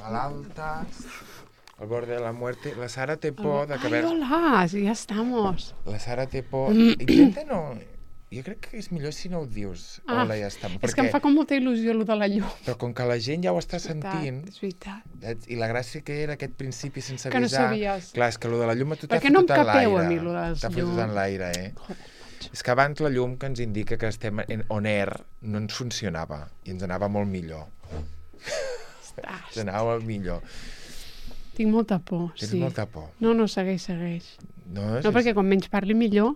malaltas, al borde de la muerte. La Sara té por de que... Ai, hola, sí, ja estamos. La Sara té por... Intenta no... Jo crec que és millor si no ho dius. Hola, ja està. És que em fa com molta il·lusió allò de la llum. Però com que la gent ja ho està sentint... És veritat. I la gràcia que era aquest principi sense avisar... Que no sabies. Clar, és que allò de la llum a tu t'ha Per què no em fotut en l'aire. capeu a mi, allò de les T'ha fotut en l'aire, És que abans la llum que ens indica que estem on air no ens funcionava i ens anava molt millor. Ens anava millor. Tinc molta por, sí. Tens molta por. No, segueix. No, perquè quan menys parli millor...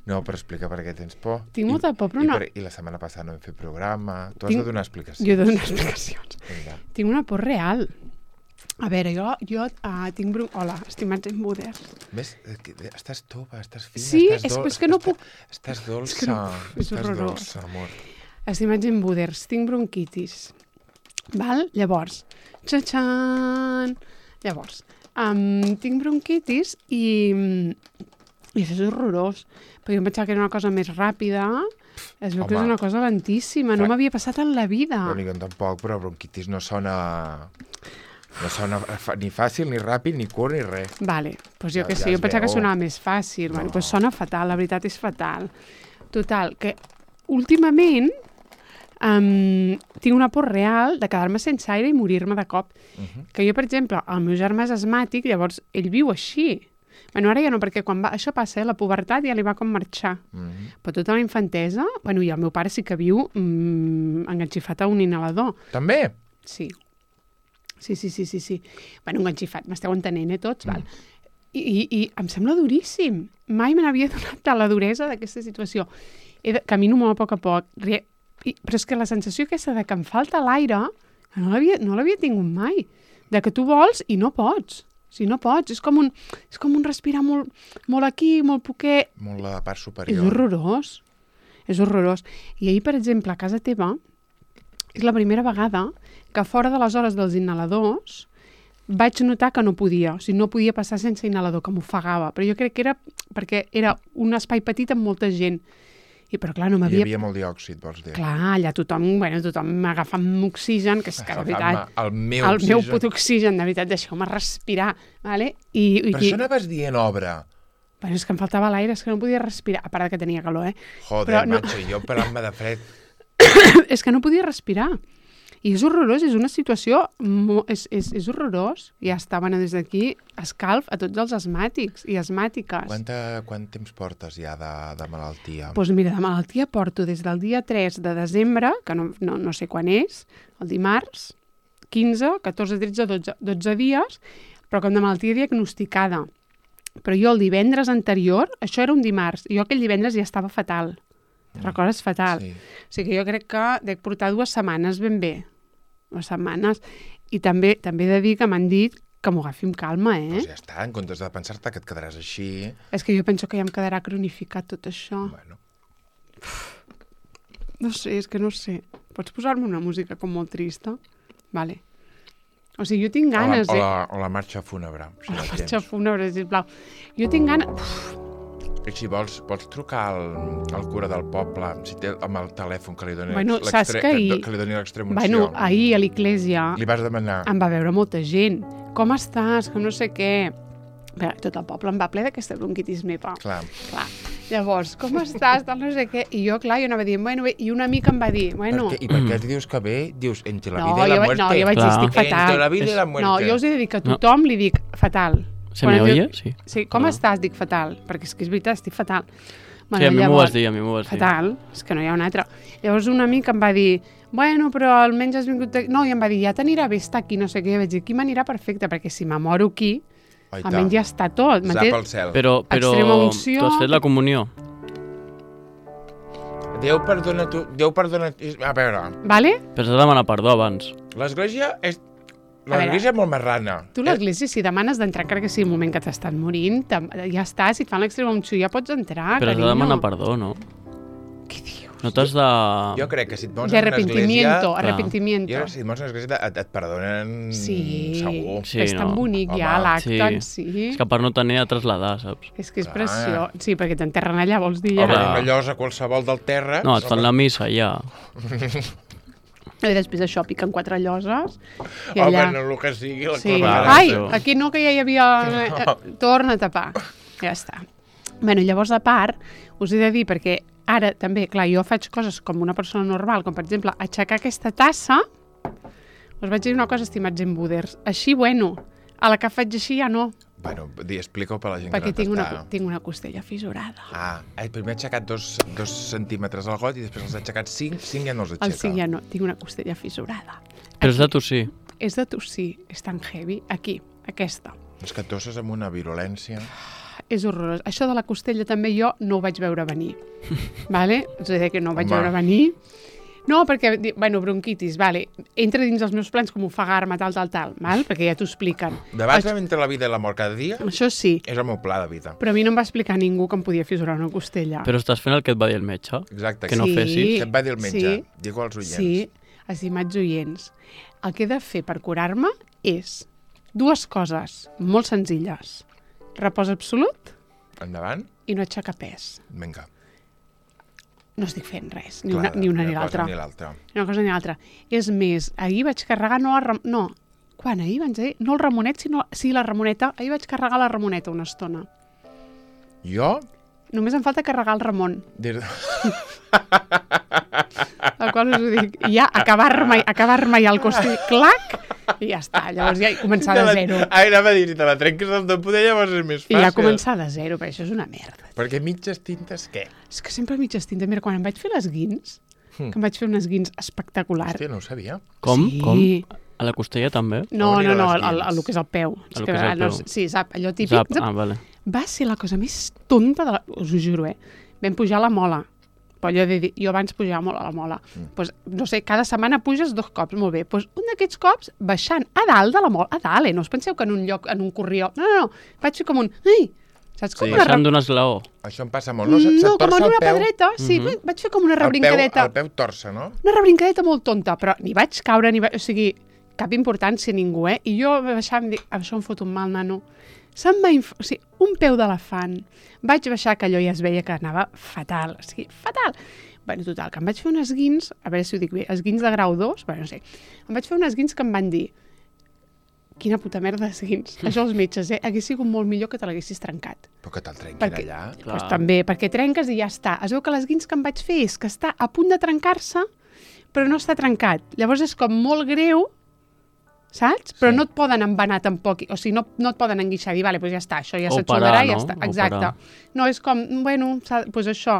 No, però explica per què tens por. Tinc molta por, però no... I la setmana passada no hem fet programa. Tu has de donar explicacions. Jo he de donar explicacions. Tinc una por real. A veure, jo tinc... Hola, estimats embuders. Ves? Estàs tova, estàs fina, sí, estàs dolça. És que no puc... Estàs dolça. És horrorós. Dolça, amor. Estimats embuders, tinc bronquitis. Val? Llavors, txatxan! Llavors, tinc bronquitis i això és horrorós, perquè jo em pensava que era una cosa més ràpida, es veu que és una cosa lentíssima, no m'havia passat en la vida. No, ni jo tampoc, però bronquitis no sona ni fàcil, ni ràpid, ni curt, ni res. Vale, doncs jo que sé, jo pensava que sonava més fàcil, bueno, doncs sona fatal, la veritat és fatal. Total, que últimament tinc una por real de quedar-me sense aire i morir-me de cop. Que jo, per exemple, el meu germà és asmàtic, llavors ell viu així. Bueno, ara ja no, perquè quan això passa, la pubertat ja li va com marxar. Però tota la infantesa, bueno, i el meu pare sí que viu enganxifat a un inhalador. També? Sí. Sí. Bueno, enganxifat, m'esteu entenent, tots, val? I em sembla duríssim. Mai me n'havia donat de la duresa d'aquesta situació. Camino molt a poc, però és que la sensació aquesta de que em falta l'aire no l'havia tingut mai. De que tu vols i no pots. Si no pots, és com un respirar molt aquí, molt poquet. Molt la part superior. És horrorós. I ahir, per exemple, a casa teva, és la primera vegada que fora de les hores dels inhaladors vaig notar que no podia. O sigui, no podia passar sense inhalador, que m'ofegava. Però jo crec que era perquè era un espai petit amb molta gent. Però clar, no m'havia... Hi havia molt diòxid, vols dir? Clar, allà tothom m'agafa amb oxigen, que és que, de veritat... El meu put oxigen, de veritat, deixeu-me respirar, vale? Per això anaves dient obra. Bueno, és que em faltava l'aire, és que no podia respirar, a part que tenia calor, Joder, macho, jo parant-me de fred. És que no podia respirar. I és horrorós, és una situació... És horrorós. I ja està, bueno, des d'aquí, escalf a tots els asmàtics i asmàtiques. Quant temps portes ja de malaltia? Doncs mira, de malaltia porto des del dia 3 de desembre, que no sé quan és, el dimarts, 15, 14, 13, 12 dies, però com de malaltia diagnosticada. Però jo el divendres anterior, això era un dimarts, i jo aquell divendres ja estava fatal. Recordes? Fatal. Sí. O sigui que jo crec que dec portar 2 setmanes ben bé. 2 setmanes. I també he de dir que m'han dit que m'ho agafi amb calma, Doncs ja està, en comptes de pensar-te que et quedaràs així... És que jo penso que ja em quedarà cronificat tot això. Bueno. No sé, és que no sé. Pots posar-me una música com molt trista? Vale. O sigui, jo tinc ganes... O la marxa fúnebre. Si la marxa fúnebre, sisplau. Jo tinc ganes... Si vols trucar al cura del poble amb el telèfon que li doni l'extrema unció. Bueno, ahir a l'església... Li vas demanar. Em va veure molta gent. Com estàs? Que no sé què. Tot el poble em va ple d'aquesta bronquitis meva. Clar. Llavors, com estàs? No sé què. I jo, clar, jo anava dient, bueno, bé. I una amica em va dir, bueno... I per què dius que bé? Dius, entre la vida i la muerte. No, jo vaig dir, estic fatal. Entre la vida i la muerte. No, jo us he de dir que a tothom li dic fatal. ¿Se me oye? Sí. Sí, com estàs? Dic fatal, perquè és que és veritat, estic fatal. Bueno, sí, a mi m'ho vas dir, Fatal, és que no hi ha un altre. Llavors un amic em va dir, bueno, però almenys has vingut... No, i em va dir, ja t'anirà bé estar aquí, no sé què. I vaig dir, aquí m'anirà perfecte, perquè si me moro aquí, almenys ja està tot. Sap el cel. Però tu has fet la comunió. Déu perdona tu... A veure... Vale? Però has de demanar perdó abans. L'església és... L'església és molt més rana. Tu l'església, si demanes d'entrar, crec que sí, el moment que t'estan morint, ja està, si et fan l'extrema unció ja pots entrar, però has de demanar perdó, no? Què dius? No t'has de... Jo crec que si et mors en una església... Arrepentimiento. Si et mors en una església et perdonen segur. Sí, és tan bonic ja l'acte en si. És que per no tenir a traslladar, saps? És que és preciós. Sí, perquè t'enterren allà, vols dir? Home, una llosa qualsevol del terra... No, et fan la missa ja. I després això, piquen 4 lloses. I Home, allà... no el que sigui. Sí. Clavada. Ai, aquí no, que ja hi havia... Torna a tapar. Ja està. Bueno, llavors, a part, us he de dir, perquè ara també, clar, jo faig coses com una persona normal, com per exemple, aixecar aquesta tassa. Us vaig dir una cosa, estimats embuders. Així, bueno, a la que faig així ja no. Bueno, explica-ho per la gent Perquè que no tinc una costella fissurada. Primer he aixecat 2 centímetres al got i després els he aixecat 5 ja no els aixeca. El 5 ja no, tinc una costella fissurada. Però és de tossir. És de tossir, és tan heavy. Aquí, aquesta. És que tosses amb una virulència. És horrorós. Això de la costella també jo no ho vaig veure venir. Vale? És a dir, que no ho vaig veure venir. No, perquè, bueno, bronquitis, vale, entra dins els meus plans com ofegar-me, tal, val? Perquè ja t'ho expliquen. Debats entre la vida i la mort cada dia Això sí. és el meu pla de vida. Però a mi no em va explicar ningú que em podia fissurar una costella. Però estàs fent el que et va dir el metge? Exacte. Que no fessis? Que et va dir el metge. Digue als oients. Sí, estimats oients. El que he de fer per curar-me és 2 coses molt senzilles. Repòs absolut Endavant. i no aixecar pes. Vinga. No estic fent res, ni una ni l'altra. Ni l'altra. Ni una cosa ni l'altra. És més, ahir vaig carregar quan ahir vaig dir? No el Ramonet, sí, la Ramoneta. Ahir vaig carregar la Ramoneta una estona. Jo? Només em falta carregar el Ramon. Des... El qual us ho dic. I ja acabar-me ja el costell, clac, i ja està. Llavors ja començar de zero. Anava a dir, si te la trenques al de poder, llavors és més fàcil. I ja començar de zero, però això és una merda. Perquè mitges tintes, què? És que sempre mitges tintes. Mira, quan em vaig fer les guins, que em vaig fer unes guins espectaculars. Hòstia, no ho sabia. Com? Sí. Com? A la costella també? No, On eren les el que és el peu. El que és el peu. Sí, sap, allò típic. Zap. Vale. Va ser la cosa més tonta de us ho juro, Vam pujar a la mola. Però jo abans pujava molt a la mola. Pues, no sé, cada setmana puges 2 cops, molt bé. Pues, un d'aquests cops, baixant a dalt de la mola, a dalt, no us penseu que en un lloc, en un corrió. No. Vaig fer com un... Ai! Saps com Baixant d'un esglaó. Això em passa molt. No, se't com torça en el una peu. pedreta, sí, vaig fer com una rebrincadeta. El peu torça, no? Una rebrincadeta molt tonta, però ni vaig caure, o sigui, cap importància a ningú, I jo baixava i em dic, això em fot un mal, nano. Se'm va o sigui, un peu d'elefant. Vaig baixar, que allò ja es veia que anava fatal, o sigui, fatal. Bueno, total, que em vaig fer unes guins, a veure si ho dic bé, esguins de grau 2, bueno, no sé, em vaig fer unes guins que em van dir, quina puta merda d'esguins. Això els metges, hagués sigut molt millor que te l'haguessis trencat. Però que te'l trenquin allà. Pues també, perquè trenques i ja està. Es veu que les guins que em vaig fer és que està a punt de trencar-se, però no està trencat. Llavors és com molt greu, saps? Però no et poden embanar tampoc, o sigui, no et poden enguixar i dir, vale, pues ja està, això ja s'aixugarà i ja està. Exacte. No, és com, bueno, pues això,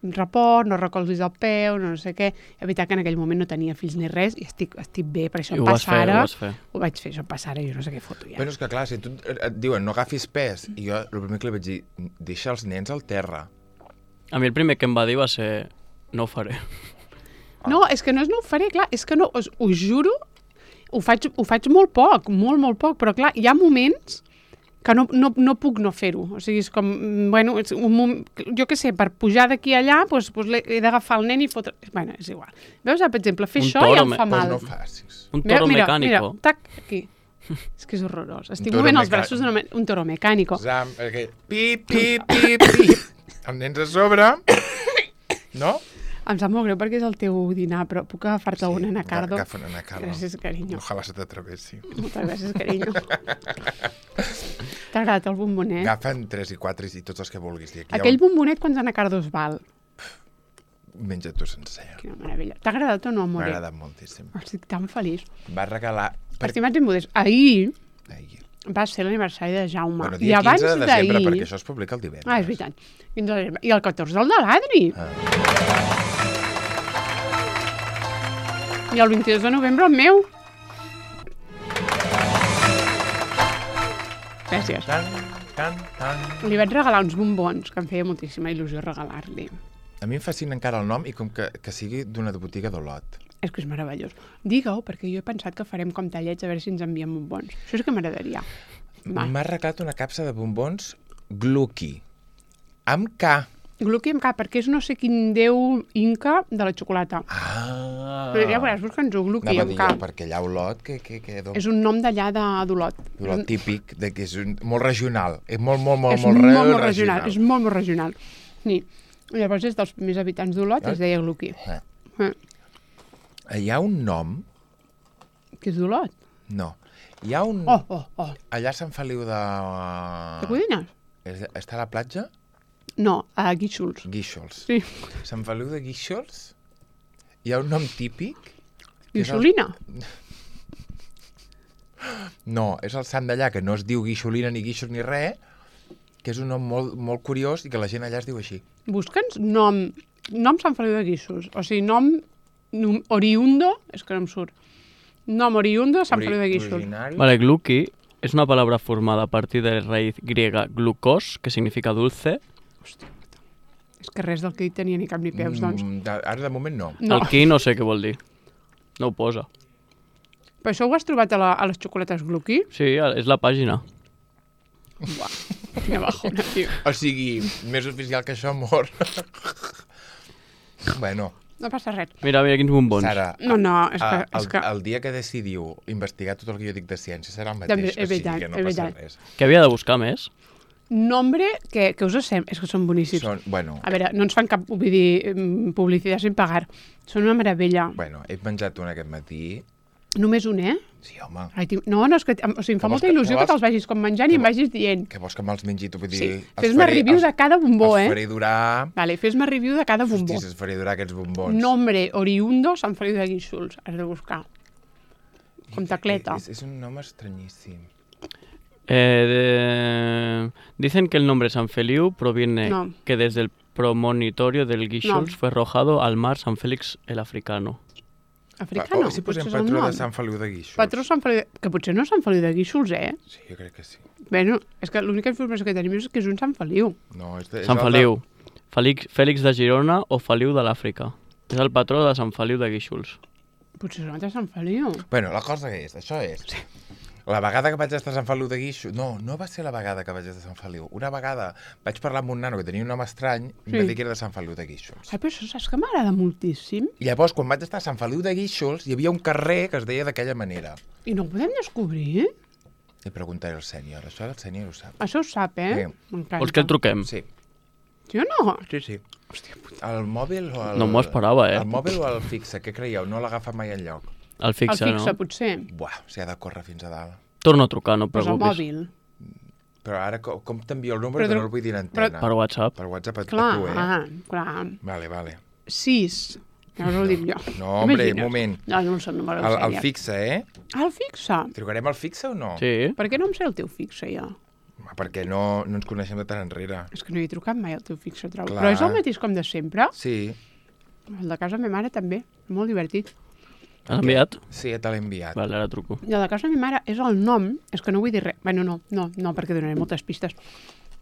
repòs, no recolzis el peu, no sé què. És veritat que en aquell moment no tenia fills ni res i estic bé, per això em passa ara. Ho vaig fer, això em passa ara, jo no sé què foto ja. Però és que clar, si tu et diuen no agafis pes, i jo el primer que li vaig dir, deixa els nens al terra. A mi el primer que em va dir va ser, no ho faré. No, és que no és no ho faré, clar, és que no, us juro, ho faig molt poc, molt poc, però clar, hi ha moments que no puc no fer-ho. O sigui, és com, bueno, jo què sé, per pujar d'aquí allà, doncs he d'agafar el nen i fotre... Bueno, és igual. Veus, per exemple, fer això ja em fa mal. Doncs no facis. Un toro mecànico. Mira, tac, aquí. És que és horrorós. Estic movent els braços d'un toro mecànico. Pip. Els nens a sobre, no? Em sap molt greu perquè és el teu dinar, però puc agafar-te un anacardo? Agafa un anacardo. Gràcies, carinyo. Ojalà se t'atravessi. Moltes gràcies, carinyo. T'ha agradat el bombonet? Agafa'n 3 i 4 i tots els que vulguis. Aquell bombonet quants anacardos val? Menja-t'ho sencer. Quina meravella. T'ha agradat o no, amore? M'ha agradat moltíssim. Estic tan feliç. Va regalar... Estimats embuders, ahir va ser l'aniversari de Jaume. Bueno, dia 15 de desembre, perquè això es publica el divendres. És veritat. 15 de desembre. I el 14 el de l'Adri. I el 22 de novembre el meu. Gràcies. Li vaig regalar uns bombons, que em feia moltíssima il·lusió regalar-li. A mi em fascina encara el nom i com que sigui d'una botiga d'Olot. És que és meravellós. Digue-ho, perquè jo he pensat que farem com tallets a veure si ens envien bombons. Això és que m'agradaria. M'ha regalat una capsa de bombons Glucky, amb K. Glucky amb K, perquè és no sé quin déu inca de la xocolata. Però ja veuràs, busca'ns-ho, Glucky amb K. Perquè allà a Olot, que és un nom d'allà d'Olot. Olot típic, que és molt regional. És molt regional. És molt regional. Sí. Llavors és dels primers habitants d'Olot, es deia Glucky. Hi ha un nom... Que és d'Olot. No. Hi ha un... Oh. Allà a Sant Feliu de... De Codines? Està a la platja? No, a Guíxols. Guíxols. Sí. Sant Feliu de Guíxols hi ha un nom típic... Guixolina? No, és el sant d'allà, que no es diu Guixolina ni Guíxols ni res, que és un nom molt, molt curiós i que la gent allà es diu així. Busca'ns nom Sant Feliu de Guíxols. O sigui, nom oriundo, és que no em surt. Nom oriundo Sant Feliu de Guíxols. Originari. Vale, gluki es una palabra formada a partir de la raíz griega glucos, que significa dulce. Hòstia puta. És que res del que he dit tenia ni cap ni peus, doncs. Ara de moment no. No. El qui no sé què vol dir. No ho posa. Però això ho has trobat a les xocolates Glucky? Sí, és la pàgina. Uah, quina bajona, tio. O sigui, més oficial que això, amor. Bueno. No passa res. Mira quins bombons. Sara, No, és que... el dia que decidiu investigar tot el que jo dic de ciència serà el També, mateix, és veritat, que no és passa veritat. res. Què havia de buscar més? Nombre que us sembla... És que són boníssims. Bueno, A veure, no ens fan cap publicitat sin pagar. Són una meravella. he menjat un aquest matí. Només un, eh? Sí, home. Ai, tio, no, és que o sigui, em fa Que vols molta que- il·lusió que que te'ls vagis com menjant i em vagis dient. Que vols que me'ls mengi tu? Vull dir, Sí, els fes-me faré- review de cada bombó, els eh? faré durar... Vale, fes-me review de cada bombó. Hòsties, els faré durar aquests bombons. Nombre oriundo Sant Feliu de Guíxols. Has de buscar. Com tacleta. És un nom estranyíssim. Dicen que el nombre San Feliu proviene No. que desde el promonitorio del Guíxols No. fue arrojado al mar San Félix el Africano. Africano. Si posem potser és el patró nom. de Sant Feliu de Guíxols. Patró Sant Feliu de... Que potser no és Sant Feliu de Guíxols, eh? Sí, jo crec que sí. Bueno, és que l'única informació que tenim és que és un Sant Feliu. No, és Sant Feliu. Fèlix de Girona o Feliu de l'Àfrica. És el patró de Sant Feliu de Guíxols. Potser és un altre Sant Feliu. Bueno, la cosa que és, això és... Sí. La vegada que vaig estar a Sant Feliu de Guíxols... No va ser la vegada que vaig estar a Sant Feliu. Una vegada vaig parlar amb un nano que tenia un nom estrany i em va dir que era de Sant Feliu de Guíxols. Ai, però això saps que m'agrada moltíssim? I llavors, quan vaig estar a Sant Feliu de Guíxols, hi havia un carrer que es deia d'aquella manera. I no ho podem descobrir? Li preguntaré al sènior. Això el sènior ho sap. Això ho sap, eh? Sí. M'encanta. Vols que el truquem? Sí. Sí o no? Sí. El mòbil o el... No m'ho esperava, eh? El mòbil o el fixe? Què creieu? No l'agafa mai enlloc. El fixe, El fixe, no? potser. Buah, s'hi ha de córrer fins a dalt. Torno a trucar, no et Pues el preocupis. mòbil. Però ara com t'envio el número Però que no el vull dir en antena? Per WhatsApp. Per WhatsApp a Clar, tu, clar. Vale. 6. Llavors ho dic jo. No, hombre, Imagina't. moment. No, no em sé el número del El sènior. fixe, eh? Ah, el fixe? Trucarem al fixe o no? Sí. Per què no em sé el teu fixe, jo? Home, perquè no ens coneixem de tant enrere. És que no hi he trucat mai al teu fixe, trobo. Clar. Però és el mateix com de sempre? Sí, El de casa de ma mare també. Molt divertit. Has enviat? sí, te l'he enviat. Vale, ara truco. I el de casa de ma mare és el nom, és que no vull dir res, bueno, no, perquè donaré moltes pistes.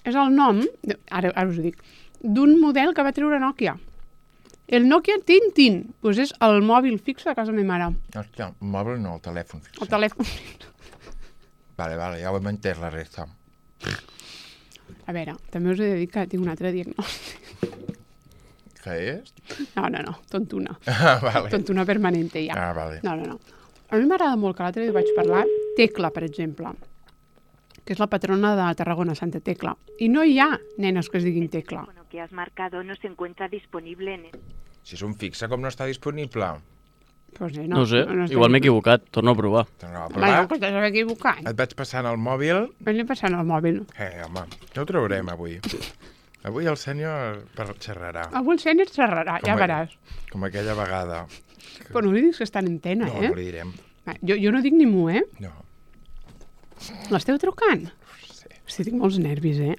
És el nom, ara us ho dic, d'un model que va treure Nokia. El Nokia Tintin, doncs és el mòbil fixe de casa de ma mare. Hòstia, el mòbil no, el telèfon fixe. El telèfon. Vale, ja ho hem entès la resta. A veure, també us he de dir que tinc un altre diagnòstic. Què és? No, tontuna. Ah, vale. Tontuna permanente, ja. Ah, vale. No. A mi m'agrada molt, que l'altre dia vaig parlar, Tecla, per exemple, que és la patrona de Tarragona, Santa Tecla. I no hi ha nenes que es diguin Tecla. El teléfono que has marcado no se encuentra disponible en el... Si és un fixe, com no està disponible? Pues No ho sé, igual m'he equivocat. Torno a provar. Tornava a Bueno, provar. que t'has equivocat. Et vaig passant el mòbil. Vaig passant el mòbil. Home, ja ho traurem avui. Avui el senyor xerrarà. Avui el sènior xerrarà, ja veràs. Com aquella vegada. Però no li dius que està en antena, No, eh? no li direm. Va, jo no dic ni mu, eh? No. L'esteu trucant? Sí. Hosti, tinc molts nervis, eh?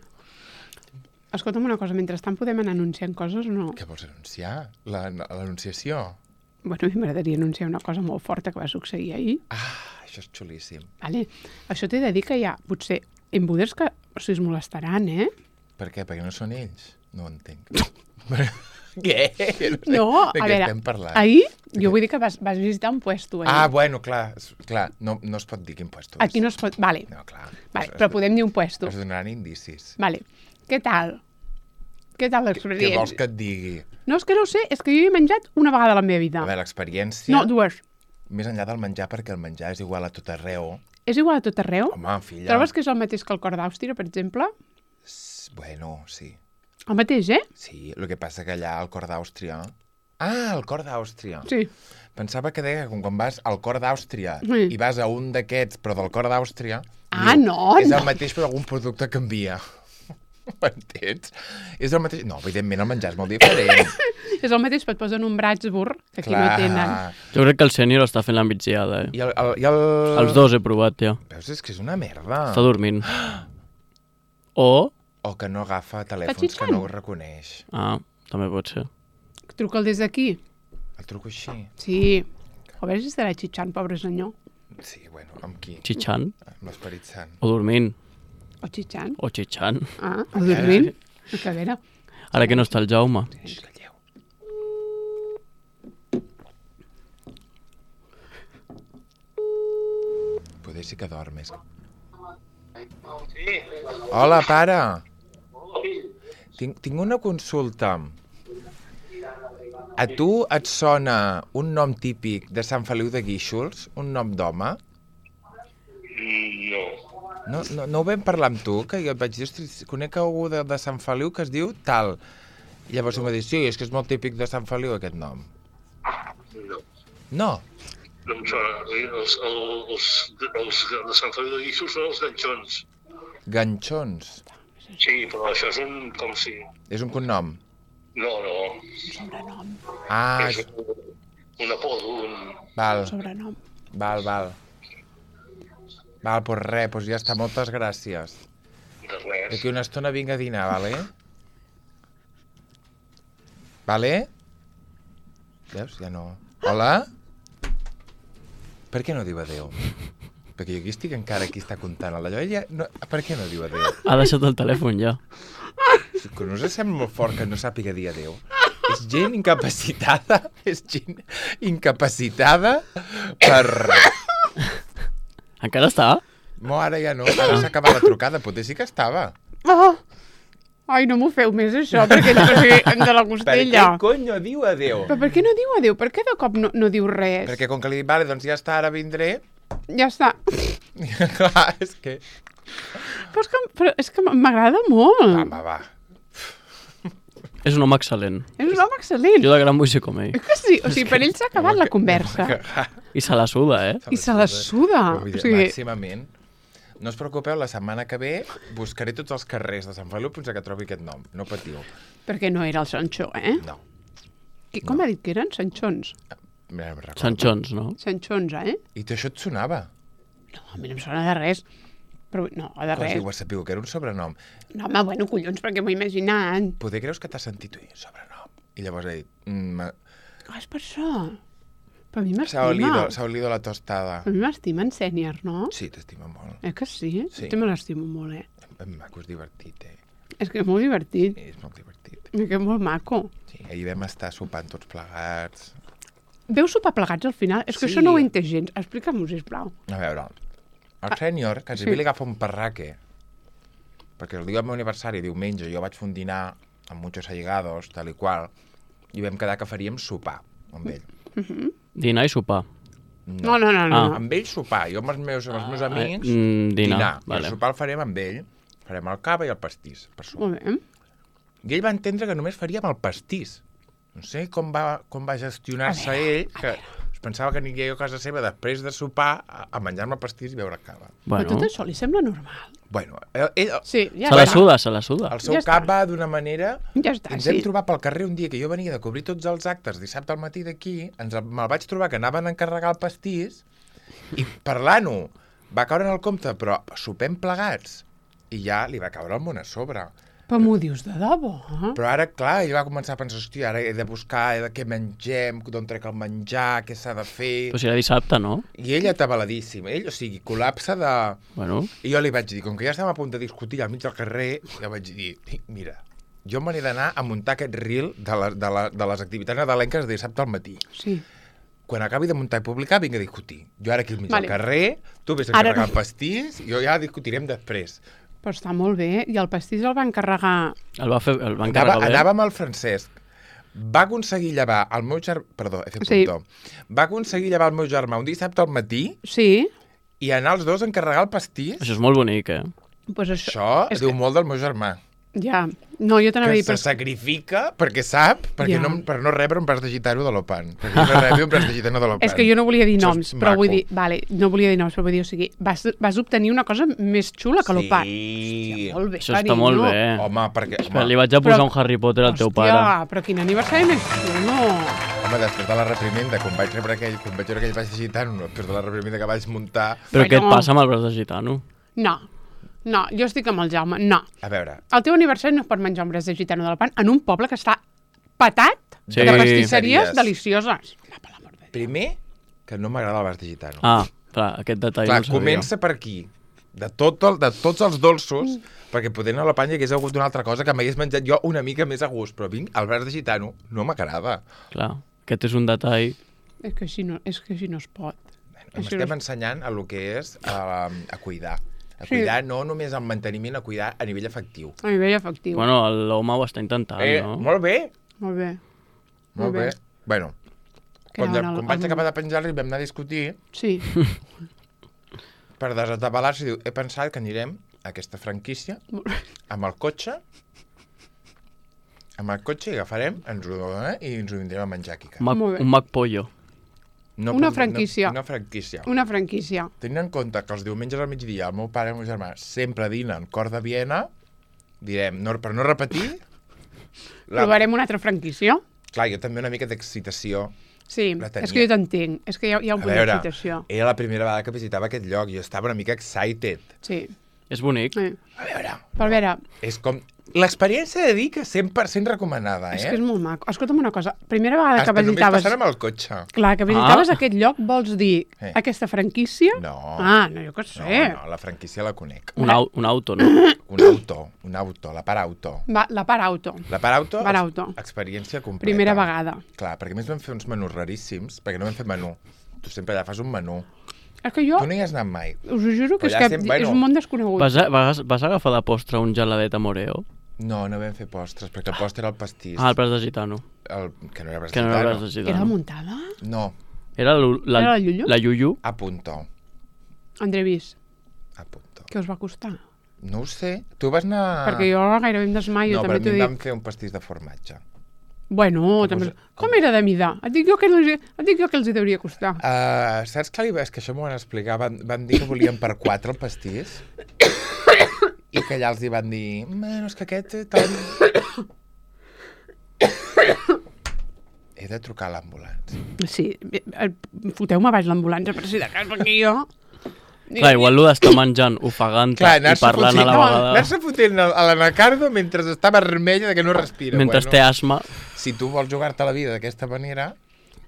Escolta'm una cosa, mentrestant podem anar anunciant coses o no? Què vols anunciar? L'anunciació? Bueno, a mi m'agradaria anunciar una cosa molt forta que va succeir ahir. Ah, això és xulíssim. Vale. Això t'he de dir que hi ha, potser, embuders que es molestaran, eh? Per què? Perquè no són ells? No ho entenc. Què? No, de a què veure, estem parlant? ahir, jo vull dir que vas visitar un puesto ahir. Ah, bueno, clar, no es pot dir quin puesto és. Aquí no es pot... Vale, No, clar. vale, però podem dir un puesto. Es donaran indicis. Vale. Què tal? Què tal Què l'experiència? vols que et digui? No, és que no ho sé, és que jo hi he menjat una vegada a la meva vida. A veure, l'experiència... No, dues. Més enllà del menjar, perquè el menjar és igual a tot arreu. És igual a tot arreu? Home, filla... Trobes que és el mateix que el cor d'Àustria, per exemple? Bueno, sí. El mateix, eh? Sí, el que passa que allà al cor d'Àustria Ah, el cor d'Àustria. Sí. Pensava que deia que quan vas al cor d'Àustria Sí. i vas a un d'aquests, però del cor d'Àustria... Ah, diu, no, És no. el mateix, però algun producte canvia. M'entens? És el mateix... No, evidentment el menjar és molt diferent. És el mateix, però et posen un Bratsburg, que aquí no tenen. Jo crec que el sènior està fent la migdiada, I el... Els dos he provat, ja. Veus, és que és una merda. Està dormint. O... O que no agafa telèfons, xitxant? que no ho reconeix. Ah, també pot ser. Truca'l des d'aquí. El truco així. Sí. A veure si estarà xitxant, pobre senyor. Sí, bueno, amb qui? Xitxant. Amb l'Esperit Sant. O dormint. O xitxant. O xitxant. Ah, o dormint. A veure. Ara que no està el Jaume. Calleu. Poder sí que dormes. Sí. Hola, pare. Tinc una consulta. A tu et sona un nom típic de Sant Feliu de Guíxols? Un nom d'home? No. No ho vam parlar amb tu? Que jo et vaig dir, ostres, conec algú de Sant Feliu que es diu tal. I llavors em va dir, sí, és que és molt típic de Sant Feliu aquest nom. No. No. No em sona. Els de Sant Feliu de Guíxols són els ganxons. Ganxons. Sí, però això és un... com si... És un cognom. No. Ah, És un apodo, val, Sobrenom. val. Val, doncs res, doncs ja està, moltes gràcies. de res. D'aquí una estona vinc a dinar, vale? Vale? Veus? Ja no... Hola? Per què no diu adéu? Perquè jo aquí estic encara aquí està comptant la Joia. No, per què no diu adéu? Ha deixat el telèfon ja. Que no us sembla molt fort que no sàpiga dir adéu? És gent incapacitada, és gent incapacitada per... Encara està? No, ara ja no, ara s'ha acabat la trucada, potser sí que estava. Oh! Ai, no m'ho feu més, això, perquè de la Per costella. què conyo diu adéu? Però per què no diu adéu? Per què de cop no diu res? Perquè com que li dic, vale, doncs ja està, ara vindré. Ja està. Clar, és que... Però és que m'agrada molt. Va. És un home excel·lent. És un home excel·lent. Jo de gran vull ser com ell. És que sí, o sigui, per ell s'ha acabat la conversa. I se la suda, I se la suda. O O sigui, màximament. No us preocupeu, la setmana que ve buscaré tots els carrers de Sant Feliu fins que trobi aquest nom. No patiu. perquè no era el Sanxó, eh? No. Com ha dit que eren? Sanxons. Mira, no me'n recordo. Sanxons, no? Sanxons, eh? I això et sonava? No, a mi no em sona de res. Però, no, de Com res. si ho has sabut, que era un sobrenom. No, home, bueno, collons, perquè m'ho he imaginat. Poder creus que t'has sentit ui, sobrenom. I llavors he dit... Ah, és per això. Però a mi S'ha m'estima. olido la tostada. A mi m'estima en sènior, no? Sí, t'estima molt. Que sí? Sí. Jo me l'estimo molt, Ben maco, és divertit, És que és molt divertit. És molt divertit. És que és molt maco. Sí, ahir vam estar sopant tots plegats. Veu sopar plegats al final? És que Sí. això no ho he entès gens. Explica'm-ho, sisplau. A veure, el sènior, que sí. sí. li agafa un parraque, perquè el dia del meu aniversari, diumenge, jo vaig fer un dinar amb muchos allegados, tal i qual, i vam quedar que faríem sopar amb ell. Dinar i sopar. No. Amb ell sopar, jo amb els meus amics, dinar. I el sopar el farem amb ell, farem el cava i el pastís, per sopar. Molt bé. I ell va entendre que només faríem el pastís. No sé com va gestionar-se ell, que es pensava que aniria jo a casa seva després de sopar a menjar-me pastís i beure cava. Però Bueno, tot això li sembla normal. Bueno, ell, Sí, ja se la està. suda, se la suda. el seu Ja cap està. va d'una manera... Ja està, Ens sí. hem trobat pel carrer un dia que jo venia de cobrir tots els actes dissabte al matí d'aquí, me'l vaig trobar que anaven a encarregar el pastís i parlant-ho va caure en el compte, però sopem plegats i ja li va caure el món a sobre. Però m'ho dius de debò, eh? Però ara, clar, ell va començar a pensar, hòstia, ara he de buscar què mengem, d'on trec el menjar, què s'ha de fer... Però si era dissabte, no? I ell atabaladíssim, ell, o sigui, col·lapse de... Bueno, I jo li vaig dir, com que ja estem a punt de discutir al mig del carrer, jo vaig dir, mira, jo me n'he d'anar a muntar aquest reel de les activitats nadalenques de dissabte al matí. Sí. Quan acabi de muntar i publicar, vinc a discutir. Jo ara aquí al mig Vale. del carrer, tu vés a Ara encarregar no. el pastís, i jo ja discutirem després. Però està molt bé. I el pastís el va encarregar... el va encarregar bé. Anava amb el Francesc. Va aconseguir llevar el meu germà... Perdó, he fet Sí. puntó. Va aconseguir llevar el meu germà un dissabte al matí Sí. i anar els dos a encarregar el pastís. Això és molt bonic, eh? Pues això... Això és diu molt del meu germà. Ja. No, jo t'anava a que dir... se sacrifica perquè sap, Ja. per no rebre un braç de gitano de l'Opan. Perquè no rebi un braç de gitano de l'Opan. És que jo no volia dir Això noms, és però vull maco. dir... Vale, no volia dir noms, però vull dir, o sigui, vas obtenir una cosa més xula que l'Opan. Sí. Molt bé, Això està molt bé. Home, perquè... Espera, li vaig a posar un Harry Potter al teu pare. Hòstia, però quin aniversari més xulo. Home, després de la reprimenda, quan vaig veure aquell braç de gitano, després de la reprimenda que vaig muntar... Però què et Bueno. passa amb el braç de gitano? No, jo estic amb el Jaume, no. A veure... El teu aniversari no es pot menjar un braç de gitano de l'Alpan en un poble que està petat Sí. de pastisseries Pastisseries. delicioses. Home, per l'amor de Déu. Primer, que no m'agrada el braç de gitano. Ah, clar, aquest detall Clar, no el sabia. comença per aquí. De tots els dolços, perquè podent a la panya hagués hagut una altra cosa que m'hagués menjat jo una mica més a gust, però vinc, el braç de gitano no m'agrada. Clar, aquest és un detall... És que així no es pot. Estem ensenyant a lo que és a cuidar. A cuidar no només el manteniment, a cuidar a nivell efectiu. A nivell efectiu. Bueno, l'home ho està intentant, no? Molt bé, Molt bé. molt bé. Bueno, Que quan ara vaig acabar de penjar-li vam anar a discutir Sí. per desatabalar-se i diu, he pensat que anirem a aquesta franquícia amb el cotxe i agafarem, ens ho vindrem a menjar aquí. Molt bé. Un McPollo. Una franquícia. Una franquícia. Una franquícia. Tenint en compte que els diumenges al migdia el meu pare i el meu germà sempre dinen cor de Viena, direm, per no repetir... Provarem una altra franquícia? Clar, jo també una mica d'excitació. Sí, La tenia. és que jo t'entenc. És que hi ha un punt d'excitació. Era la primera vegada que visitava aquest lloc i jo estava una mica excited. Sí. És bonic. A veure... Però a veure... És com... L'experiència de dir que 100% recomanada, És que és molt maco. Escolta'm una cosa. Primera vegada que Hasta només visitaves... passant amb el cotxe. Clar, que visitaves aquest lloc, vols dir aquesta franquícia? No. Ah, no, jo què sé. No, la franquícia la conec. Un auto, no? Un auto, la part auto. La part auto. La part auto, Part auto. experiència completa. Primera vegada. Clar, perquè a més vam fer uns menús raríssims, perquè no vam fer menú. Tu sempre allà fas un menú. És que jo Tu no hi has anat mai. us ho juro que, Però és, allà que sempre, és un món desconegut. Vas agafar de postre un geladet a Moreo? No, no vam fer postres, perquè el postre era el pastís. Ah, el braç de gitano. Que no era braç Que no era braç de Era gitano. muntada? No, Era Era la Llullo? La Llullo? a punto. André Vis, A punto. què us va costar? No ho sé. Tu vas anar... Perquè jo gairebé em desmaio, No, però també a mi t'ho em dic. van fer un pastís de formatge. Bueno, també... Com era de mida? Et dic jo que els hi hauria costar. Saps què és que això m'ho van explicar? Van dir que volien per 4 el pastís i que allà els hi van dir bueno, és que aquest tant... He de trucar a l'ambulància. Sí, foteu-me baix l'ambulància per si de cas, perquè jo... Clar, igual l'ho d'estar menjant, ofegant-te i parlant a la vegada. Anar-se fotent a l'anacardo mentre està vermella de que no respira. Mentre té asma. Si tu vols jugar-te la vida d'aquesta manera...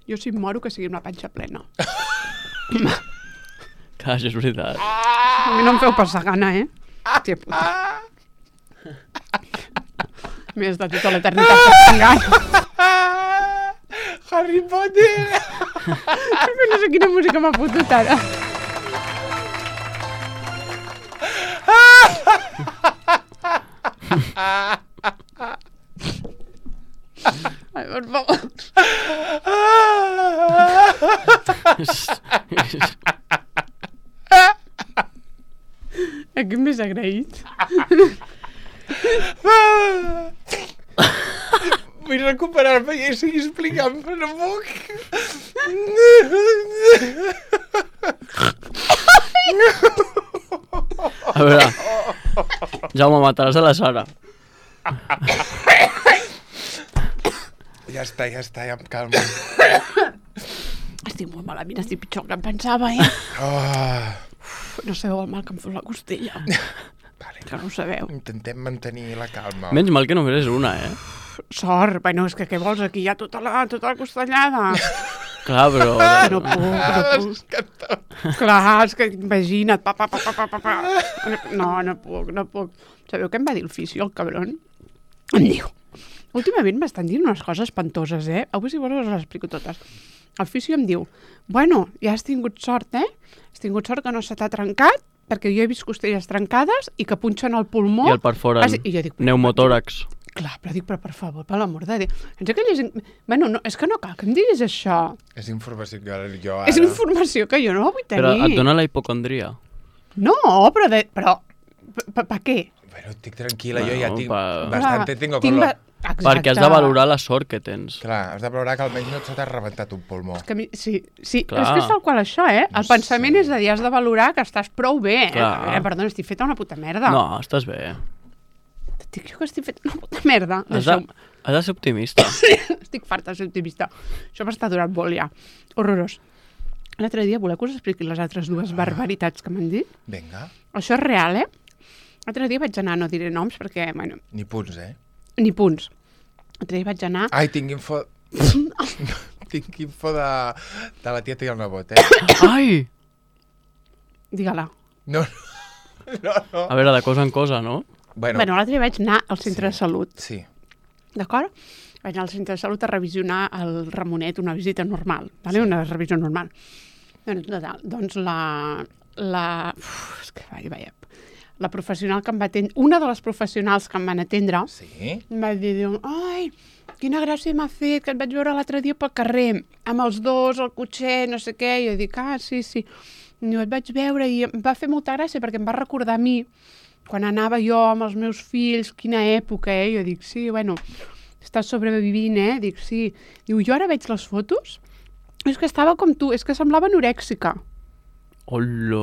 Jo si em moro que sigui amb la panxa plena. Clar, això és veritat. A mi no em feu passar gana, eh? Hòstia puta. M'he estat tota l'eternitat passant gana. Harry Potter! No sé quina música m'ha fotut ara. Ai, per favor. Aquí m'he agraït. Vull recuperar-me i seguir explicant, però no puc. A veure, Jaume, mataràs a la Sara. Ja està, ja em calmo. Estic molt malament, estic pitjor que em pensava, eh? No sabeu el mal que em fot la costella. Vale. Que no ho sabeu. Intentem mantenir la calma. Menys mal que només és una, eh? Sort, bueno, és que què vols? Aquí hi ha tota la costellada. Clar, però... No puc. Clar, és que imagina't. No puc. Sabeu què em va dir el fisio, el cabron? Em diu, últimament m'estan dient unes coses espantoses, eh? Avui si vols us les explico totes. El fisio em diu, bueno, ja has tingut sort, eh? Has tingut sort que no se t'ha trencat, perquè jo he vist costelles trencades i que punxen el pulmó. I el perforen. I jo dic, Pneumotòrax. clar, però dic, però per favor, per l'amor de Déu. Bueno, no, és que no cal que em diguis això. És informació que jo ara... És informació que jo no la vull tenir. Però et dona la hipocondria. No, però... Per què? Bueno, estic tranquil·la, jo ja tinc Clar. bastante tengo Tinc con lo... Exacte. Perquè has de valorar la sort que tens. Clar, has de valorar que almenys no se t'ha rebentat un pulmó. És que sí, Clar. és que és tal qual això, eh? El pensament és de dir, has de valorar que estàs prou bé, eh? Clar. A veure, perdona, estic feta una puta merda. No, estàs bé. Et dic jo que estic feta una puta merda. Has de ser optimista. Estic farta de ser optimista. Això m'està durant molt ja. Horrorós. L'altre dia, voleu que us expliqui les altres dues barbaritats que m'han dit? Vinga, Això és real, eh? L'altre dia vaig anar, no diré noms perquè, bueno, ni punts, eh? ni punts. L'altre dia vaig anar... Ai, tinc info... tinc info de la tieta i el nebot, eh? Ai! Digue-la. No. A veure, de cosa en cosa, no? Bueno, Bueno, l'altre dia vaig anar al centre de salut, sí. d'acord? Vaig anar al centre de salut a revisionar el Ramonet, una visita normal, vale? Una revisió normal. Doncs és que vaja, la professional que em va atendre, una de les professionals que em van atendre, Sí? em va dir, ai, quina gràcia m'ha fet, que et vaig veure l'altre dia pel carrer, amb els dos, el cotxet, no sé què, i jo dic, sí. Jo et vaig veure i em va fer molta gràcia perquè em va recordar a mi, quan anava jo amb els meus fills, quina època, Jo dic, sí, bueno, estàs sobrevivint, Dic, sí. Diu, jo ara veig les fotos, és que estava com tu, és que semblava anorèxica. Hola!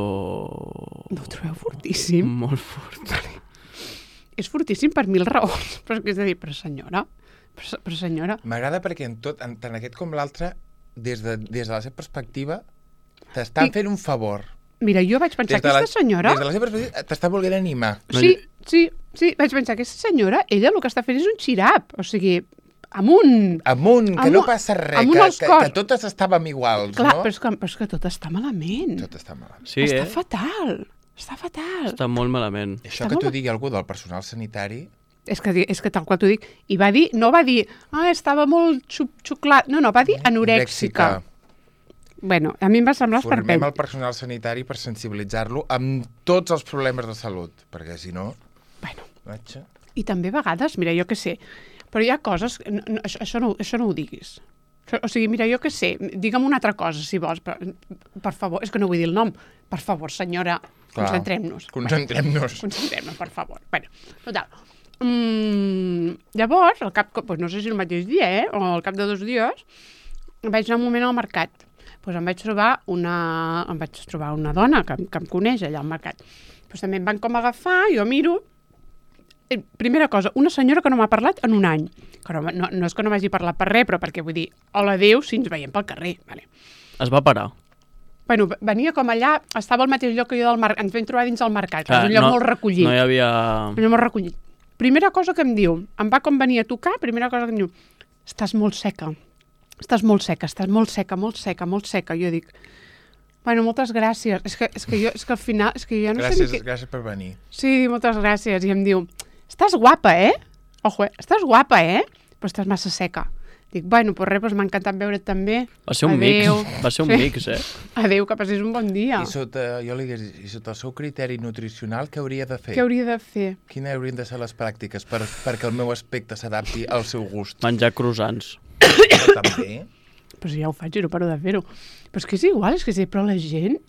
No ho trobeu fortíssim? Molt fort. És fortíssim per 1000 raons, però és a dir, però senyora... M'agrada perquè tant aquest com l'altre, des de la seva perspectiva, t'estan fent un favor. Mira, jo vaig pensar, aquesta senyora... Des de la seva perspectiva t'està volent animar. Sí, vaig pensar, aquesta senyora, ella el que està fent és un xirap, o sigui, amunt, que no passa res, que totes estàvem iguals, clar, no? però és que tot està malament. Tot està malament. Sí, Està fatal. Està molt malament. Això que t'ho digui algú del personal sanitari... És que tal qual t'ho dic. I no va dir, estava molt xuclat. No, va dir anorèxica. Bueno, a mi em va semblar esperpent. Formem el personal sanitari per sensibilitzar-lo amb tots els problemes de salut, perquè si no... Bueno. Vaja. I també a vegades, mira, jo què sé, però hi ha coses... Això no ho diguis. O sigui, mira, jo què sé, digue'm una altra cosa, si vols, però, per favor, és que no vull dir el nom. Per favor, senyora, concentrem-nos. Concentrem-nos, per favor. Bueno, total. Llavors, no sé si el mateix dia, o al cap de 2 dies, vaig anar un moment al mercat. Doncs em vaig trobar una dona que em coneix allà al mercat. Doncs també em van com agafar, jo miro. Primera cosa, una senyora que no m'ha parlat en un any. Que no és que no m'hagi parlat per res, però perquè vull dir, hola adéu, si ens veiem pel carrer. Vale. Es va parar. Bueno, venia com allà, estava al mateix lloc que jo del mercat, ens vam trobar dins del mercat, que és un lloc molt recollit. No hi havia... Un lloc molt recollit. Primera cosa que em diu, em va com venir a tocar, primera cosa que em diu, estàs molt seca. Estàs molt seca. Jo dic, bueno, moltes gràcies. És que al final, jo ja no sé... Gràcies per venir. Sí, moltes gràcies. I em diu, estàs guapa, Ojo, estàs guapa, però estàs massa seca. Dic, bueno, pues res, m'ha encantat veure't també. Va ser un mix, Adéu, que passis un bon dia. I sota el seu criteri nutricional, què hauria de fer? Què hauria de fer? Quines haurien de ser les pràctiques perquè el meu aspecte s'adapti al seu gust? Menjar croissants. També. Però si ja ho faig i no paro de fer-ho. Però és que és igual, però la gent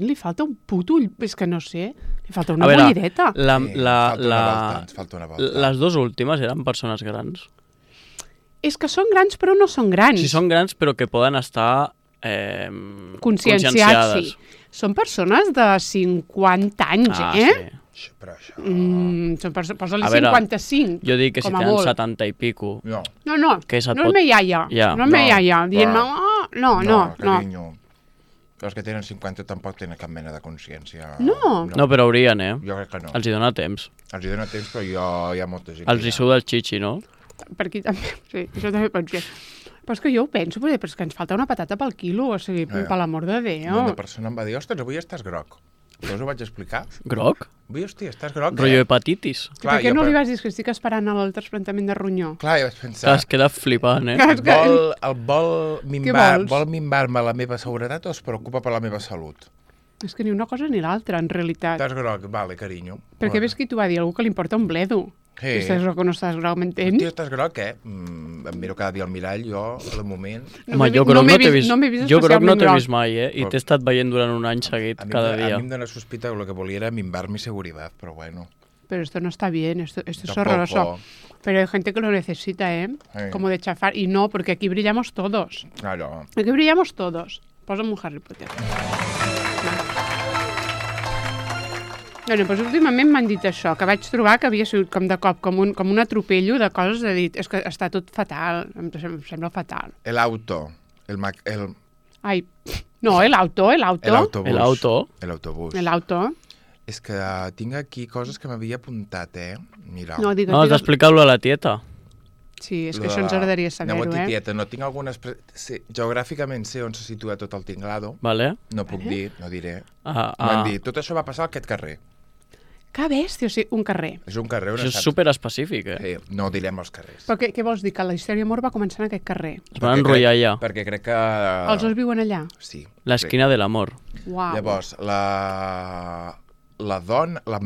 li falta un puto ull, és que no sé, li falta una bullideta. Falta una volta. Les 2 últimes eren persones grans. És que són grans però no són grans. Sí, són grans però que poden estar conscienciats. Sí. Són persones de 50 anys, Sí. Però això... Posa-li 55. Jo dic que si tenen 70 i pico... No. No és me iaia. No és me iaia. Dient-me, no. Carinyo. Els que tenen 50 tampoc tenen cap mena de consciència. No, però haurien, Jo crec que no. Els hi dona temps. Els hi dona temps, però hi ha molta gent. Els hi suda el xixi, no? Per aquí també, sí, això també pot ser. Però és que jo ho penso, però és que ens falta una patata pel quilo, o sigui, per l'amor de Déu. Una persona em va dir, ostres, avui estàs groc. Jo us ho vaig explicar. Groc? Avui, hòstia, estàs groc, Rotllo hepatitis. Per què no li vas dir que estic esperant el trasplantament de ronyó? Clar, jo vaig pensar... Es queda flipant, Vol minvar-me la meva seguretat o es preocupa per la meva salut? És que ni una cosa ni l'altra, en realitat. Estàs groc, vale, carinyo. Perquè ves qui t'ho va dir? Algú que li importa un bledo. Sí. Si estàs groc o no estàs groc, m'entens? Hòstia, estàs groc, Em miro cada dia al mirall, jo, de moment... Home, jo groc no t'he vist mai, I t'he estat veient durant un any seguit, cada dia. A mi em dóna sospita que el que volia era minvar mi seguretat, però bueno. pero esto no está bien, esto es Tampoco. horroroso. Pero hay gente que lo necesita, ¿eh? Sí. Como de chafar. Y no, porque aquí brillamos todos. Claro. Aquí brillamos todos. Posa'm un Harry Potter. Bueno, doncs últimament m'han dit això, que vaig trobar que havia sigut com de cop, com un atropello de coses de dir, és que està tot fatal, em sembla fatal. El auto. Ai, no, el auto. El autobús. El auto. El autobús. El auto. És que tinc aquí coses que m'havia apuntat, Mira. No, digues, No, has d'explicar-lo a la tieta. Sí, és que això ens agradaria saber-ho, Tieta, no tinc algunes... Sí, geogràficament sé on se situa tot el tinglado. Vale? No puc dir, no diré. M'han dit, tot això va passar a aquest carrer. Que bèstia, o sigui, un carrer. És un carrer on Això és superespecífic, Sí, no direm els carrers. Però què vols dir? Que la història d'amor va començar en aquest carrer? Es van enrotllar allà. Perquè crec que... Els dos viuen allà? Sí. L'esquina de l'amor. Uau. Llavors, la dona, la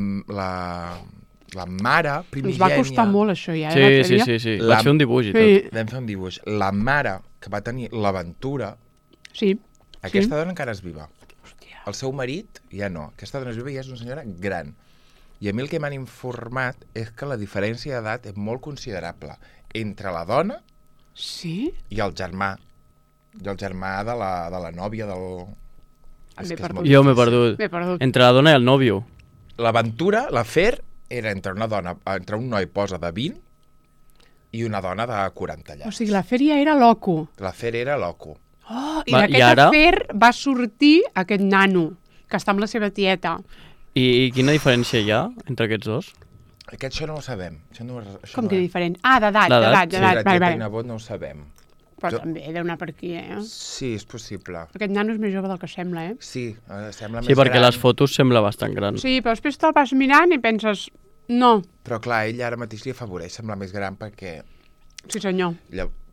mare primigènia... Us va costar molt, això, ja. Sí. Vaig fer un dibuix i tot. Vam fer un dibuix. La mare que va tenir l'aventura, Sí. aquesta dona encara és viva. El seu marit ja no. Aquesta dona és viva i és una senyora gran. I a mi el que m'han informat és que la diferència d'edat és molt considerable entre la dona i el germà. I el germà de la nòvia del... Jo m'he perdut. Entre la dona i el nòvio. L'aventura, l'afer, era entre un noi posa de 20 i una dona de 40 llars. O sigui, l'afer ja era loco. L'afer era loco. Oh, i d'aquest afer va sortir aquest nano, que està amb la seva tieta. I quina diferència hi ha entre aquests dos? Això no ho sabem. Com que diferent? Ah, d'edat. Sí, la tieta i nebot no ho sabem. Però també deu anar per aquí, Sí, és possible. Aquest nano és més jove del que sembla, Sí, sembla més gran. Sí, perquè les fotos sembla bastant gran. Sí, però després te'l vas mirant i penses, no. Però clar, ell ara mateix li afavoreix semblar més gran perquè... Sí, senyor.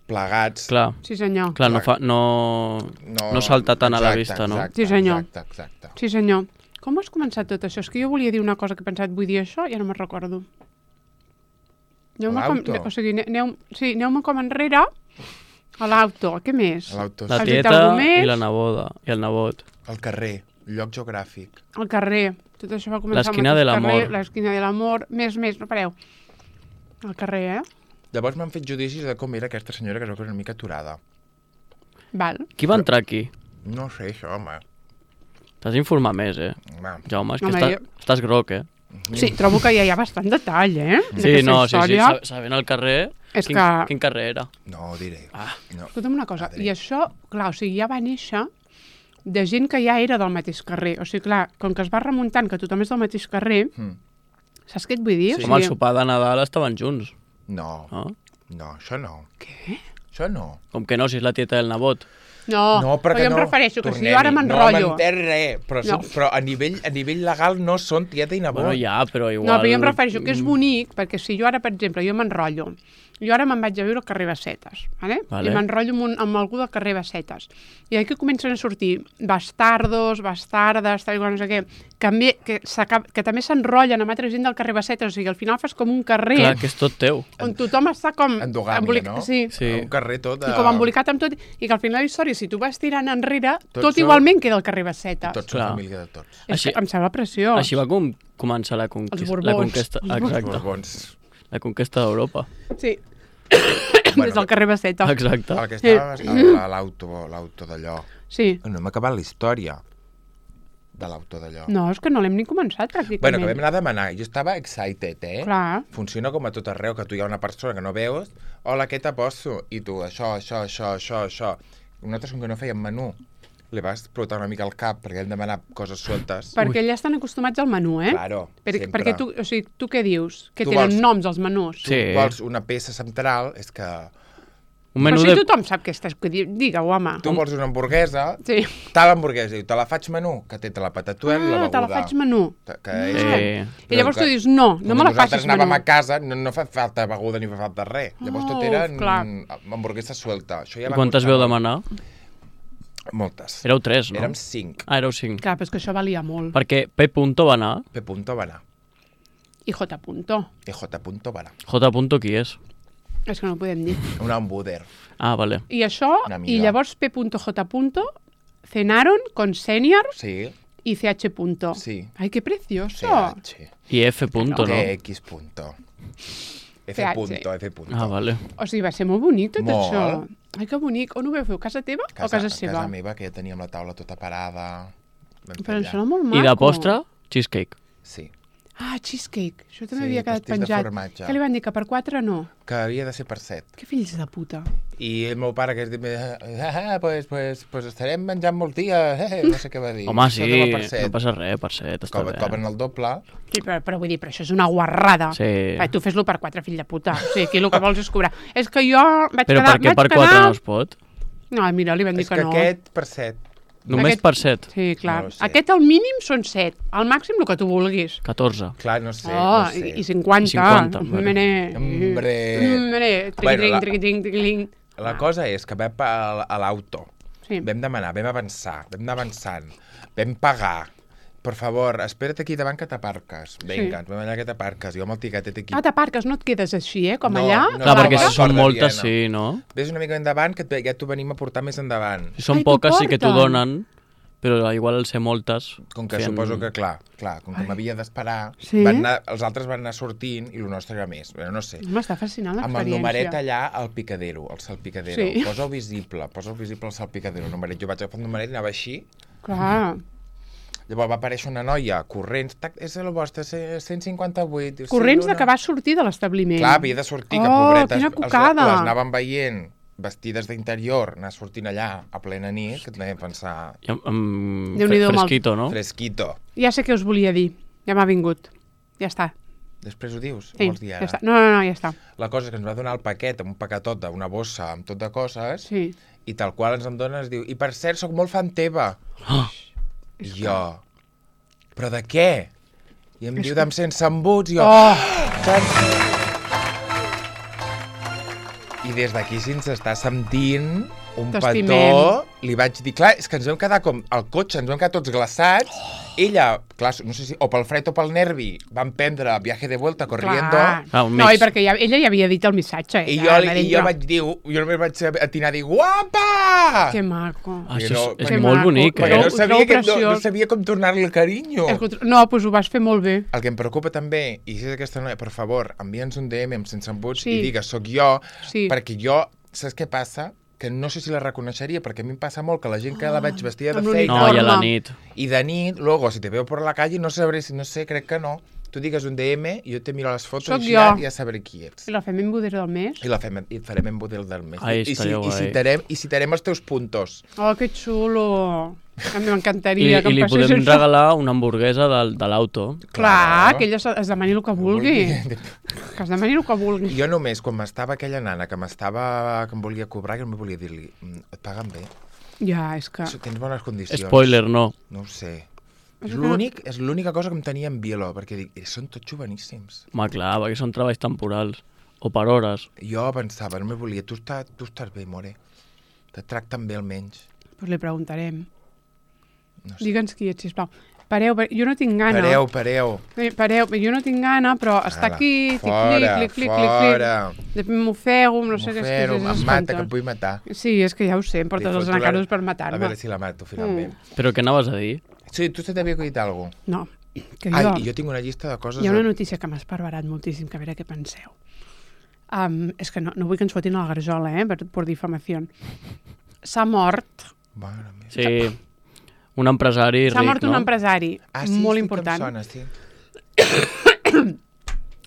Plegats... Clar. Sí, senyor. Clar, no salta tant a la vista, no? Sí, senyor. Exacte. Sí, senyor. Com has començat tot això? És que jo volia dir una cosa que he pensat, vull dir això, i ja no me'n recordo. L'auto? O sigui, aneu-me com enrere a l'auto. Què més? La tieta i la neboda, i el nebot. El carrer, lloc geogràfic. El carrer. Tot això va començar l'esquina de l'amor. L'esquina de l'amor. Més, no pareu. El carrer, Llavors m'han fet judicis de com era aquesta senyora que es veu que era una mica aturada. Val. Qui va entrar aquí? No sé, això, home. T'has d'informar més, Jaume, és que estàs groc, Sí, trobo que ja hi ha bastant detall, Sí, sabent el carrer... Quin carrer era? No ho diré. Escolta'm una cosa, i això, clar, o sigui, ja va néixer de gent que ja era del mateix carrer. O sigui, clar, com que es va remuntant que tothom és del mateix carrer, saps què et vull dir? Sí. Com el sopar de Nadal estaven junts. No, això no. Què? Això no. Com que no, si és la tieta del nebot. No, però jo em refereixo que si jo ara m'enrotllo... No m'entén res, però a nivell legal no són tieta i nebot. Bueno, ja, però igual... No, però jo em refereixo que és bonic, perquè si jo ara, per exemple, jo m'enrotllo, jo ara me'n vaig a viure al carrer Bassetes, vale? I m'enrotllo amb algú del carrer Bassetes. I aquí comencen a sortir bastardos, bastardes, tal i qual, no sé què, que també s'enrotllen amb altra gent del carrer Bassetes, o sigui, al final fas com un carrer... Clar, que és tot teu. On tothom està com... Endogàmia, no? Sí. Un carrer tot... I com embolicat amb tot, i que al final la història, si tu vas tirant enrere, tot igualment queda al carrer Bassetes. Tots són família de tots. Em sembla preciós. Així va començar la conquesta. Els Borbons. Exacte. La conquesta d'Europa. Sí. Des del carrer Basseta. Exacte. El que estava a l'auto d'allò. Sí. No hem acabat la història de l'auto d'allò. No, és que no l'hem ni començat, pràcticament. Bueno, que vam anar a demanar. Jo estava excited, Clar. Funciona com a tot arreu, que tu hi ha una persona que no veus, hola, què te poso? I tu, això. Nosaltres, com que no fèiem menú, li va explotar una mica el cap perquè hem demanat coses sueltes. Perquè ja estan acostumats al menú, Claro, sempre. Perquè tu què dius? Que tenen noms els menús? Tu vols una peça central, és que... Però si tothom sap què estàs... Digue-ho, home. Tu vols una hamburguesa, tal hamburguesa, i te la faig menú, que té la patatuel i la beguda. Te la faig menú. I llavors tu dius, no me la facis menú. Nosaltres anàvem a casa, no fa falta beguda ni fa falta res. Llavors tot era hamburguesa suelta. I quantes veu demanar? Moltes. Éreu 3, no? Érem 5. Ah, éreu 5. Clar, però és que això valia molt. Perquè P. va anar. P. va anar. I J. I J. va anar. J. qui és? És que no ho podem dir. Un hamburger. Ah, vale. I això, i llavors P. J. cenaron con senior. Sí. y CH punto. Sí. Ay, qué precioso. CH. I F punto, no? TX punto. F punto, F punto. Ah, vale. O sigui, va ser molt bonic tot Molt. això. Ai, que bonic. On ho vau fer? Casa teva o casa seva? Casa meva, que ja teníem la taula tota parada. Vam fer Però em allà. sembla molt maco. I de postre, cheesecake. Sí, Ah, cheesecake. Això també Sí, havia quedat pastís de penjat. formatge. Què li van dir? Que per 4 no? que havia de ser per 7. Que fills de puta. I el meu pare que es diu, pues estarem menjant molts dies, no sé què va dir. Home, Això sí, de per set. no passa res, per set, està Et bé. cobren el doble. Sí, però vull dir, però això és una guarrada. Sí. Tu fes-lo per 4, fill de puta. O sigui, aquí el que vols és cobrar. És que jo vaig Però quedar... per què per 4 no es pot? No, mira, li van dir És que que no. aquest per 7. Només Aquest- per 7? Sí, clar. No ho sé. Aquest al mínim són 7. Al màxim el que tu vulguis. 14. Clar, no sé, Oh, no sé. i 50. I 50, vale. Hombre. Hombre. Bueno, Bueno, La cosa és que vam a l'auto, Sí. vam demanar, vam avançar, vam anar avançant, vam pagar. Per favor, espera't aquí davant que t'aparques. Vinga, ens vam allà que t'aparques. Jo amb el tiquetet aquí. Ah, t'aparques, no et quedes així, com No, allà? no. Clar, perquè va, si són corda moltes, Viena. sí, no? Ves una mica endavant, que ja t'ho venim a portar més endavant. Si són Ai, t'ho poques sí que t'ho porten. donen, però igual al ser moltes... Com que feien- suposo que, clar, com que m'havia d'esperar, Sí? els altres van anar sortint i el nostre era més. Però no sé. M'està fascinant Amb el numeret l'experiència. allà al picadero, al salpicadero. Sí. Posa-ho visible al salpicadero. El numeret. Jo vaig agafar el numeret i anava així. Clar. Llavors va aparèixer una noia corrents. Tac, és el vostre, 158. Diu, Corrents sí, de que va sortir de l'establiment. Clar, havia de sortir, que Oh, pobretes. quina cucada. Les anaven veient vestides d'interior, anar sortint allà a plena nit, que et deia pensar I amb Déu-n'hi-do, fresquito, no? fresquito. Ja sé què us volia dir. Ja m'ha vingut. Ja està. Després ho dius? Sí, Ho vols dir ja ara? està. No, ja està. La cosa és que ens va donar el paquet, un paquetot d'una bossa amb tot de coses, Sí. i tal qual ens en dona, es diu, i per cert, sóc molt fan teva. Ah, I jo, però de què? I em diu d'em sense embuts, i jo... Oh! I des d'aquí, si ens està sentint un T'estimem. petó, li vaig dir, clar, és que ens vam quedar com al cotxe, ens vam quedar tots glaçats, ella, clar, no sé si, o pel fred o pel nervi, van prendre viaje de vuelta corriendo, Clar. Ah, un No, mix. i perquè ella ja havia dit el missatge. i ja, jo vaig dir, jo només vaig atinar a dir, guapa! Que maco. això Però- és Que molt maco. bonic, Perquè eh? no Ho sabia, trobo no preciós. sabia com tornar-li el carinyo. No, doncs ho vas fer molt bé. El que em preocupa també, i si és aquesta noia, per favor, envia'ns un DM amb sense embuts Sí. i digues, soc jo, Sí. perquè jo, saps què passa? Que no sé si la reconeixeria, perquè a mi em passa molt que la gent que la veig vestida de amb feina No, i a la Forma. nit. i de nit, luego, si te veo por la calle, no sabré, no sé, crec que no. Tu digues un DM i jo te miro les fotos Soc i jo. ja sabré qui ets. I la fem en Boder del mes. I et farem en model del mes. Ai, I, estaria guai. citarem els teus puntos. Oh, que xulo. A mi I, m'encantaria que i em li passés podem això. regalar una hamburguesa de l'auto. Clar, que ella es demani el que vulgui. Que es demani el que vulgui. Jo només, quan m'estava aquella nana que em volia cobrar, que no me volia dir-li, et paguen bé? Ja, és que... Tens bones condicions? Spoiler, no. No ho sé. És És l'única cosa que em tenia en Bielo, perquè dic, són tots joveníssims. Home, clar, perquè són treballs temporals. O per hores. Jo pensava, no me volia, tu estàs bé, more. Te tracten bé almenys. Pues li preguntarem. No sé. Digue'ns qui ets, sisplau. Pareu, jo no tinc gana. Pareu. Pareu, jo no tinc gana, però està Ala, aquí, fora. Després m'ofego, no sé què és. Em mata, que em vull matar. Sí, és que ja ho sé, em portes Li els foto la- nacaros per A matar-me. veure si la mato, finalment. Però què anaves a dir? Sí, tu se t'havia acudit alguna cosa? No, que Ai, jo... i jo tinc una llista de coses... Hi ha una notícia que m'ha esparverat moltíssim, que a veure què penseu. És que no vull que ens fotin a la garjola, per difamació. S'ha mort, Mare meva. Sí, un empresari ric, s'ha mort un no? empresari Sí, molt sí, important. Que em sona, sí.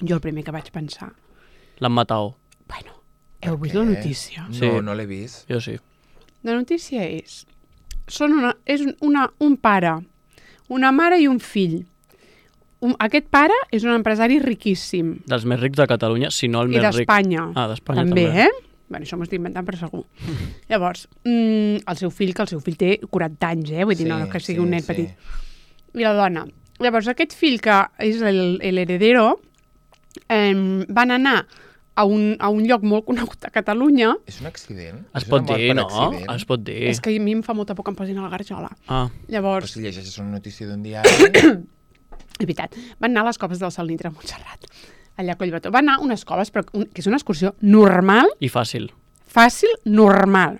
Jo el primer que vaig pensar, L'han matat. bueno, heu vist la notícia? No, Sí. no l'he vist. Jo sí. La notícia és un pare, una mare i un fill. Aquest pare és un empresari riquíssim. Dels més rics de Catalunya, si no el I més ric. d'Espanya. Ah, d'Espanya també, també. Bueno, això m'ho estic inventant per segur. Llavors, el seu fill té 40 anys, vull dir, no que sigui un nen petit. I la dona. Llavors, aquest fill, que és l'heredero, van anar a un lloc molt conegut a Catalunya. És un accident? Es És pot una mort dir, per no? accident? Es pot dir. És que a mi em fa molta por que em posin a la garjola. Ah, Però Llavors, si llegeixes una notícia d'un diari... és veritat, van anar a les coves del Salnitre a Montserrat, allà a Collbató. Van anar a unes coves, però que és una excursió normal, i fàcil. fàcil, normal.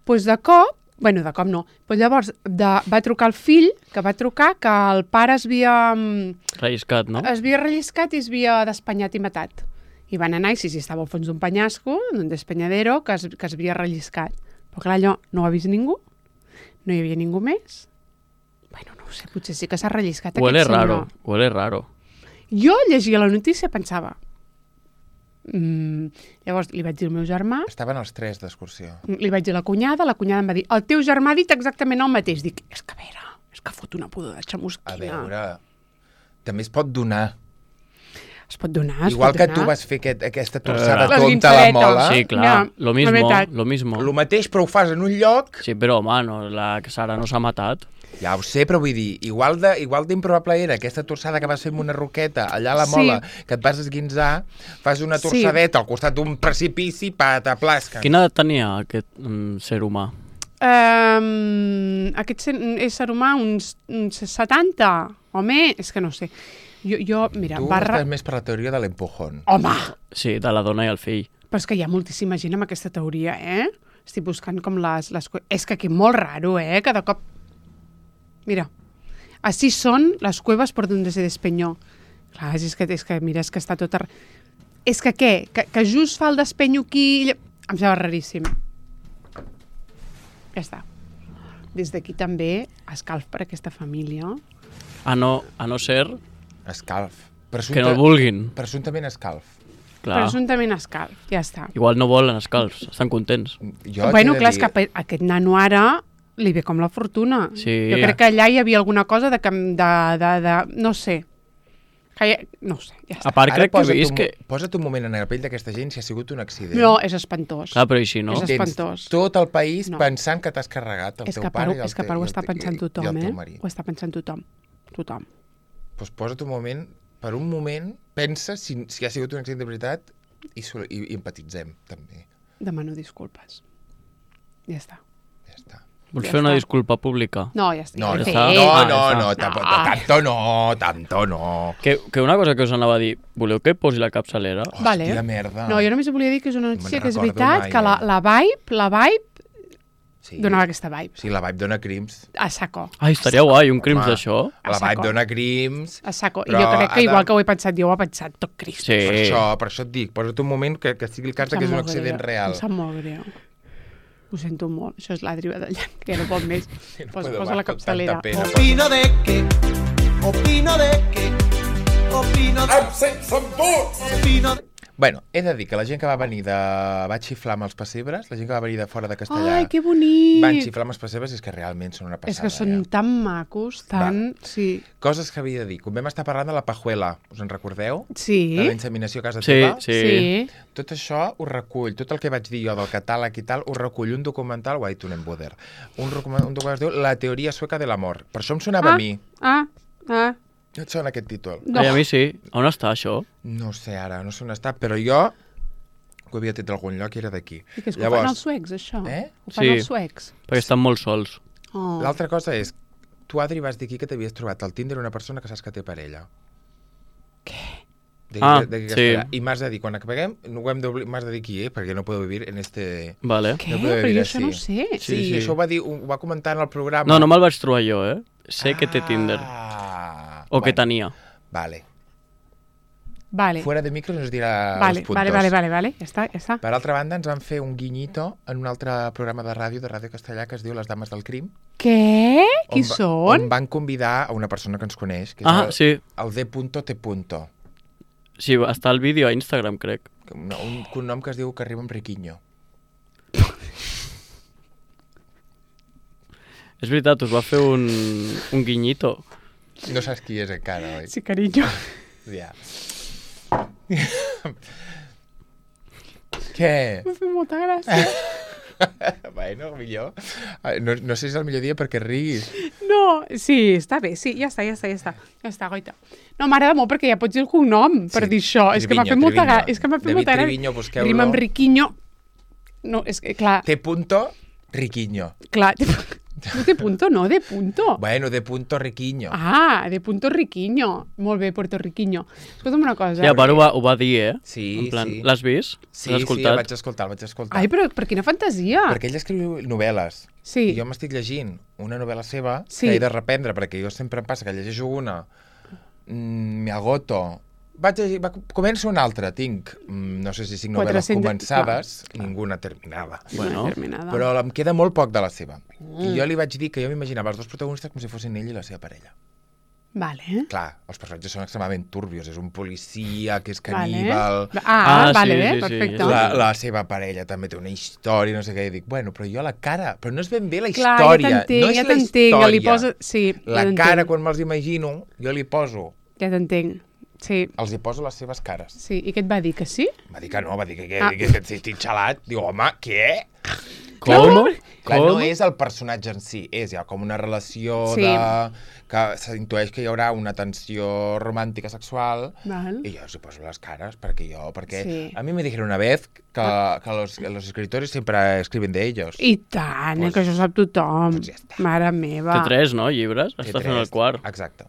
Doncs de cop Bueno, de cop no. Però llavors va trucar el fill, que va trucar que el pare es havia... Relliscat, no? Es havia relliscat i es havia despanyat i matat. I van anar, i sí, estava al fons d'un penyasco, d'un despenyadero, que es havia relliscat. Però clar, allò no ho ha vist ningú, no hi havia ningú més. Bueno, no ho sé, potser sí que s'ha relliscat Huele aquest senyor. Huele raro. Jo llegia la notícia i pensava... Llavors li vaig dir al meu germà, Estaven els 3 d'excursió. li vaig dir a la cunyada em va dir, el teu germà ha dit exactament el mateix. Dic, és que a veure, és que fot una pudor de xamusquina. A veure, també es pot donar. Es pot donar, Igual que tu vas fer aquesta torçada Les tonta a la guinzaretes. mola. Sí, clar, Ja, lo la veritat. mismo. El mateix, però ho fas en un lloc. Sí, però, home, no, la Sara no s'ha matat. Ja ho sé, però vull dir, igual d'improbable era aquesta torçada que vas fer amb una roqueta allà a la mola, que et vas esguinzar, fas una torçadeta al costat d'un precipici, pataplasca. Quina edat tenia aquest ser humà? Aquest ésser humà, uns 70 o més, és que no sé. Jo mira, Tu estàs més per la teoria de l'empujón. Home! Sí, de la dona i el fill. Però és que hi ha moltíssima gent amb aquesta teoria, Estic buscant com les... És que aquí molt raro, Cada cop... Mira, així són les cuevas por donde se despeñó. Clar, és que mira, és que està tot... És que què? Que just fa el despenyo aquí... Em sembla raríssim. Ja està. Des d'aquí també escalf per aquesta família. A no ser Escalf. que no el vulguin. Presumptament escalf. Clar. Presumptament escalf, ja està. Igual no volen escalfs, estan contents. Bueno, clar, és que aquest nano ara li ve com la fortuna. Sí. Jo crec que allà hi havia alguna cosa de no sé. No sé, ja està. A part, crec que he vist que... Posa't un moment en la pell d'aquesta gent si ha sigut un accident. No, és espantós. Clar, però i si no? És espantós. Tot el país No. pensant que t'has carregat el teu pare És que per ho està pensant tothom, Ho està pensant tothom. Tothom. Doncs posa't un moment, per un moment, pensa si ha sigut un accident de veritat i empatitzem, també. Demano disculpes. Ja està. Ja està. Vols Ja fer una està. disculpa pública? No, ja està. No, ja no, l'he està. fet. tanto no. Que una cosa que us anava a dir, voleu que posi la capçalera? Vale. Hòstia, merda. No, jo només volia dir que és una notícia me'n que és recordo veritat, mai, que la vibe Sí. donava aquesta vibe. Sí, la vibe dona crims. A saco. Ai, estaria guai, un crims Home. d'això. La saco. vibe dona crims. A saco. I Però jo crec ha que de- igual que ho he pensat jo, ho ha pensat tot Crist. Sí. Per això et dic, posa't un moment que sigui el cas que és un accident real. Em sap molt greu. Ho sento molt. Això és l'Adri Badallant, que ja no pot més. Posa la capçalera. Opino de que opino Bueno, he de dir que la gent que va venir va xiflar amb els pessebres, la gent que va venir de fora de Castellà, Ai, que bonic! van xiflar amb els pessebres i és que realment són una passada. És que són tan macos, tan... Sí. Coses que havia de dir. Com vam estar parlant de la pajuela, us en recordeu? Sí. De la inseminació a casa Sí, teva? sí. Tot això ho recull, tot el que vaig dir jo del catàleg i tal, ho recull un documental, White Unenboder, un documental que es diu La teoria sueca de l'amor. Per això em sonava a mi. Ah. No et sona aquest títol? No. Ai, a mi sí. On està això? No sé ara, no sé on està, però jo ho havia tret d'algun lloc i era d'aquí. I que és que ho fan els suecs, això. Ho fan Sí. els suecs. Perquè estan molt sols. Oh. L'altra cosa és, tu, Adri, vas dir aquí que t'havies trobat al Tinder una persona que saps que té parella. Què? Sí. I m'has de dir, quan acabem, no ho hem m'has de dir qui, perquè no puedo vivir en este... Vale. Què? No puedo Però vivir jo això así. no ho sé. Sí, Sí. això ho va comentar en el programa. No, no me'l vaig trobar jo, Sé que té Tinder. O que tenia. Vale. Vale. Fuera de micro nos dirà Vale, els puntos. vale. Ja està. Per altra banda, ens van fer un guinyito en un altre programa de Ràdio Castellà, que es diu Les Dames del Crim. Què? Qui On són? van convidar a una persona que ens coneix, que és Ah, sí. el D.T. Sí, està el vídeo a Instagram, crec. Un cognom que es diu que arriba amb Riquiño. És veritat, us va fer un guinyito. No saps qui és encara, oi? Sí, carinyo. Ja. Què? M'ha fet molta gràcia. Bueno, millor. No sé si és el millor dia perquè riguis. No, sí, està bé, sí, ja està. Ja està, goita. No, m'agrada molt perquè ja pots dir el cognom per dir això. És que m'ha fet molta gràcia. És que m'ha fet David molta gràcia. Triviño, busqueu-lo. Rima amb Riquiño. No, és que, clar, T. Riquiño. clar, No de punto, no, de punto. Bueno, de punto riquiño. Ah, de punto riquiño. Molt bé, puertorriquiño. Escolta'm una cosa. Sí, a part ho va dir, Sí, en plan, sí. l'has vist? Sí, L'has escoltat? el vaig escoltar. Ai, però per quina fantasia. Perquè ell escriu novel·les. Sí. I jo m'estic llegint una novel·la seva Sí. que he de reprendre, perquè jo sempre em passa que llegeixo una, me agoto, començo una altra, tinc, no sé si 5 novel·les 400 començades, ninguna terminada. Bueno, Terminada. Però em queda molt poc de la seva. I jo li vaig dir que jo m'imaginava els dos protagonistes com si fossin ell i la seva parella. Vale. Clar, els personatges són extremadament turbios. És un policia que és caníbal. Vale, sí, perfecte. sí. La seva parella també té una història, no sé què. I dic, bueno, però jo la cara... Però no és ben bé la Clar, història. ja t'entenc, no és ja la t'entenc. història. Li posa... Sí, La ja t'entenc. cara, quan me'ls imagino, jo li poso... Ja t'entenc. Sí, Els hi poso les seves cares. sí. I què et va dir, que sí? Va dir que no, va dir que Ah. estic xalat. Diu, home, què? Com? Clar, no Com? és el personatge en si, és ja com una relació Sí. que s'intueix que hi haurà una tensió romàntica sexual Val. i jo els hi poso les cares perquè Sí. a mi me dijeron una vez que los escritores siempre escriben de ellos. I tant, Pues- que això ho sap tothom. pues ja està. Mare Té meva. 3, no, llibres? Té Està fent el tres. quart. Exacte.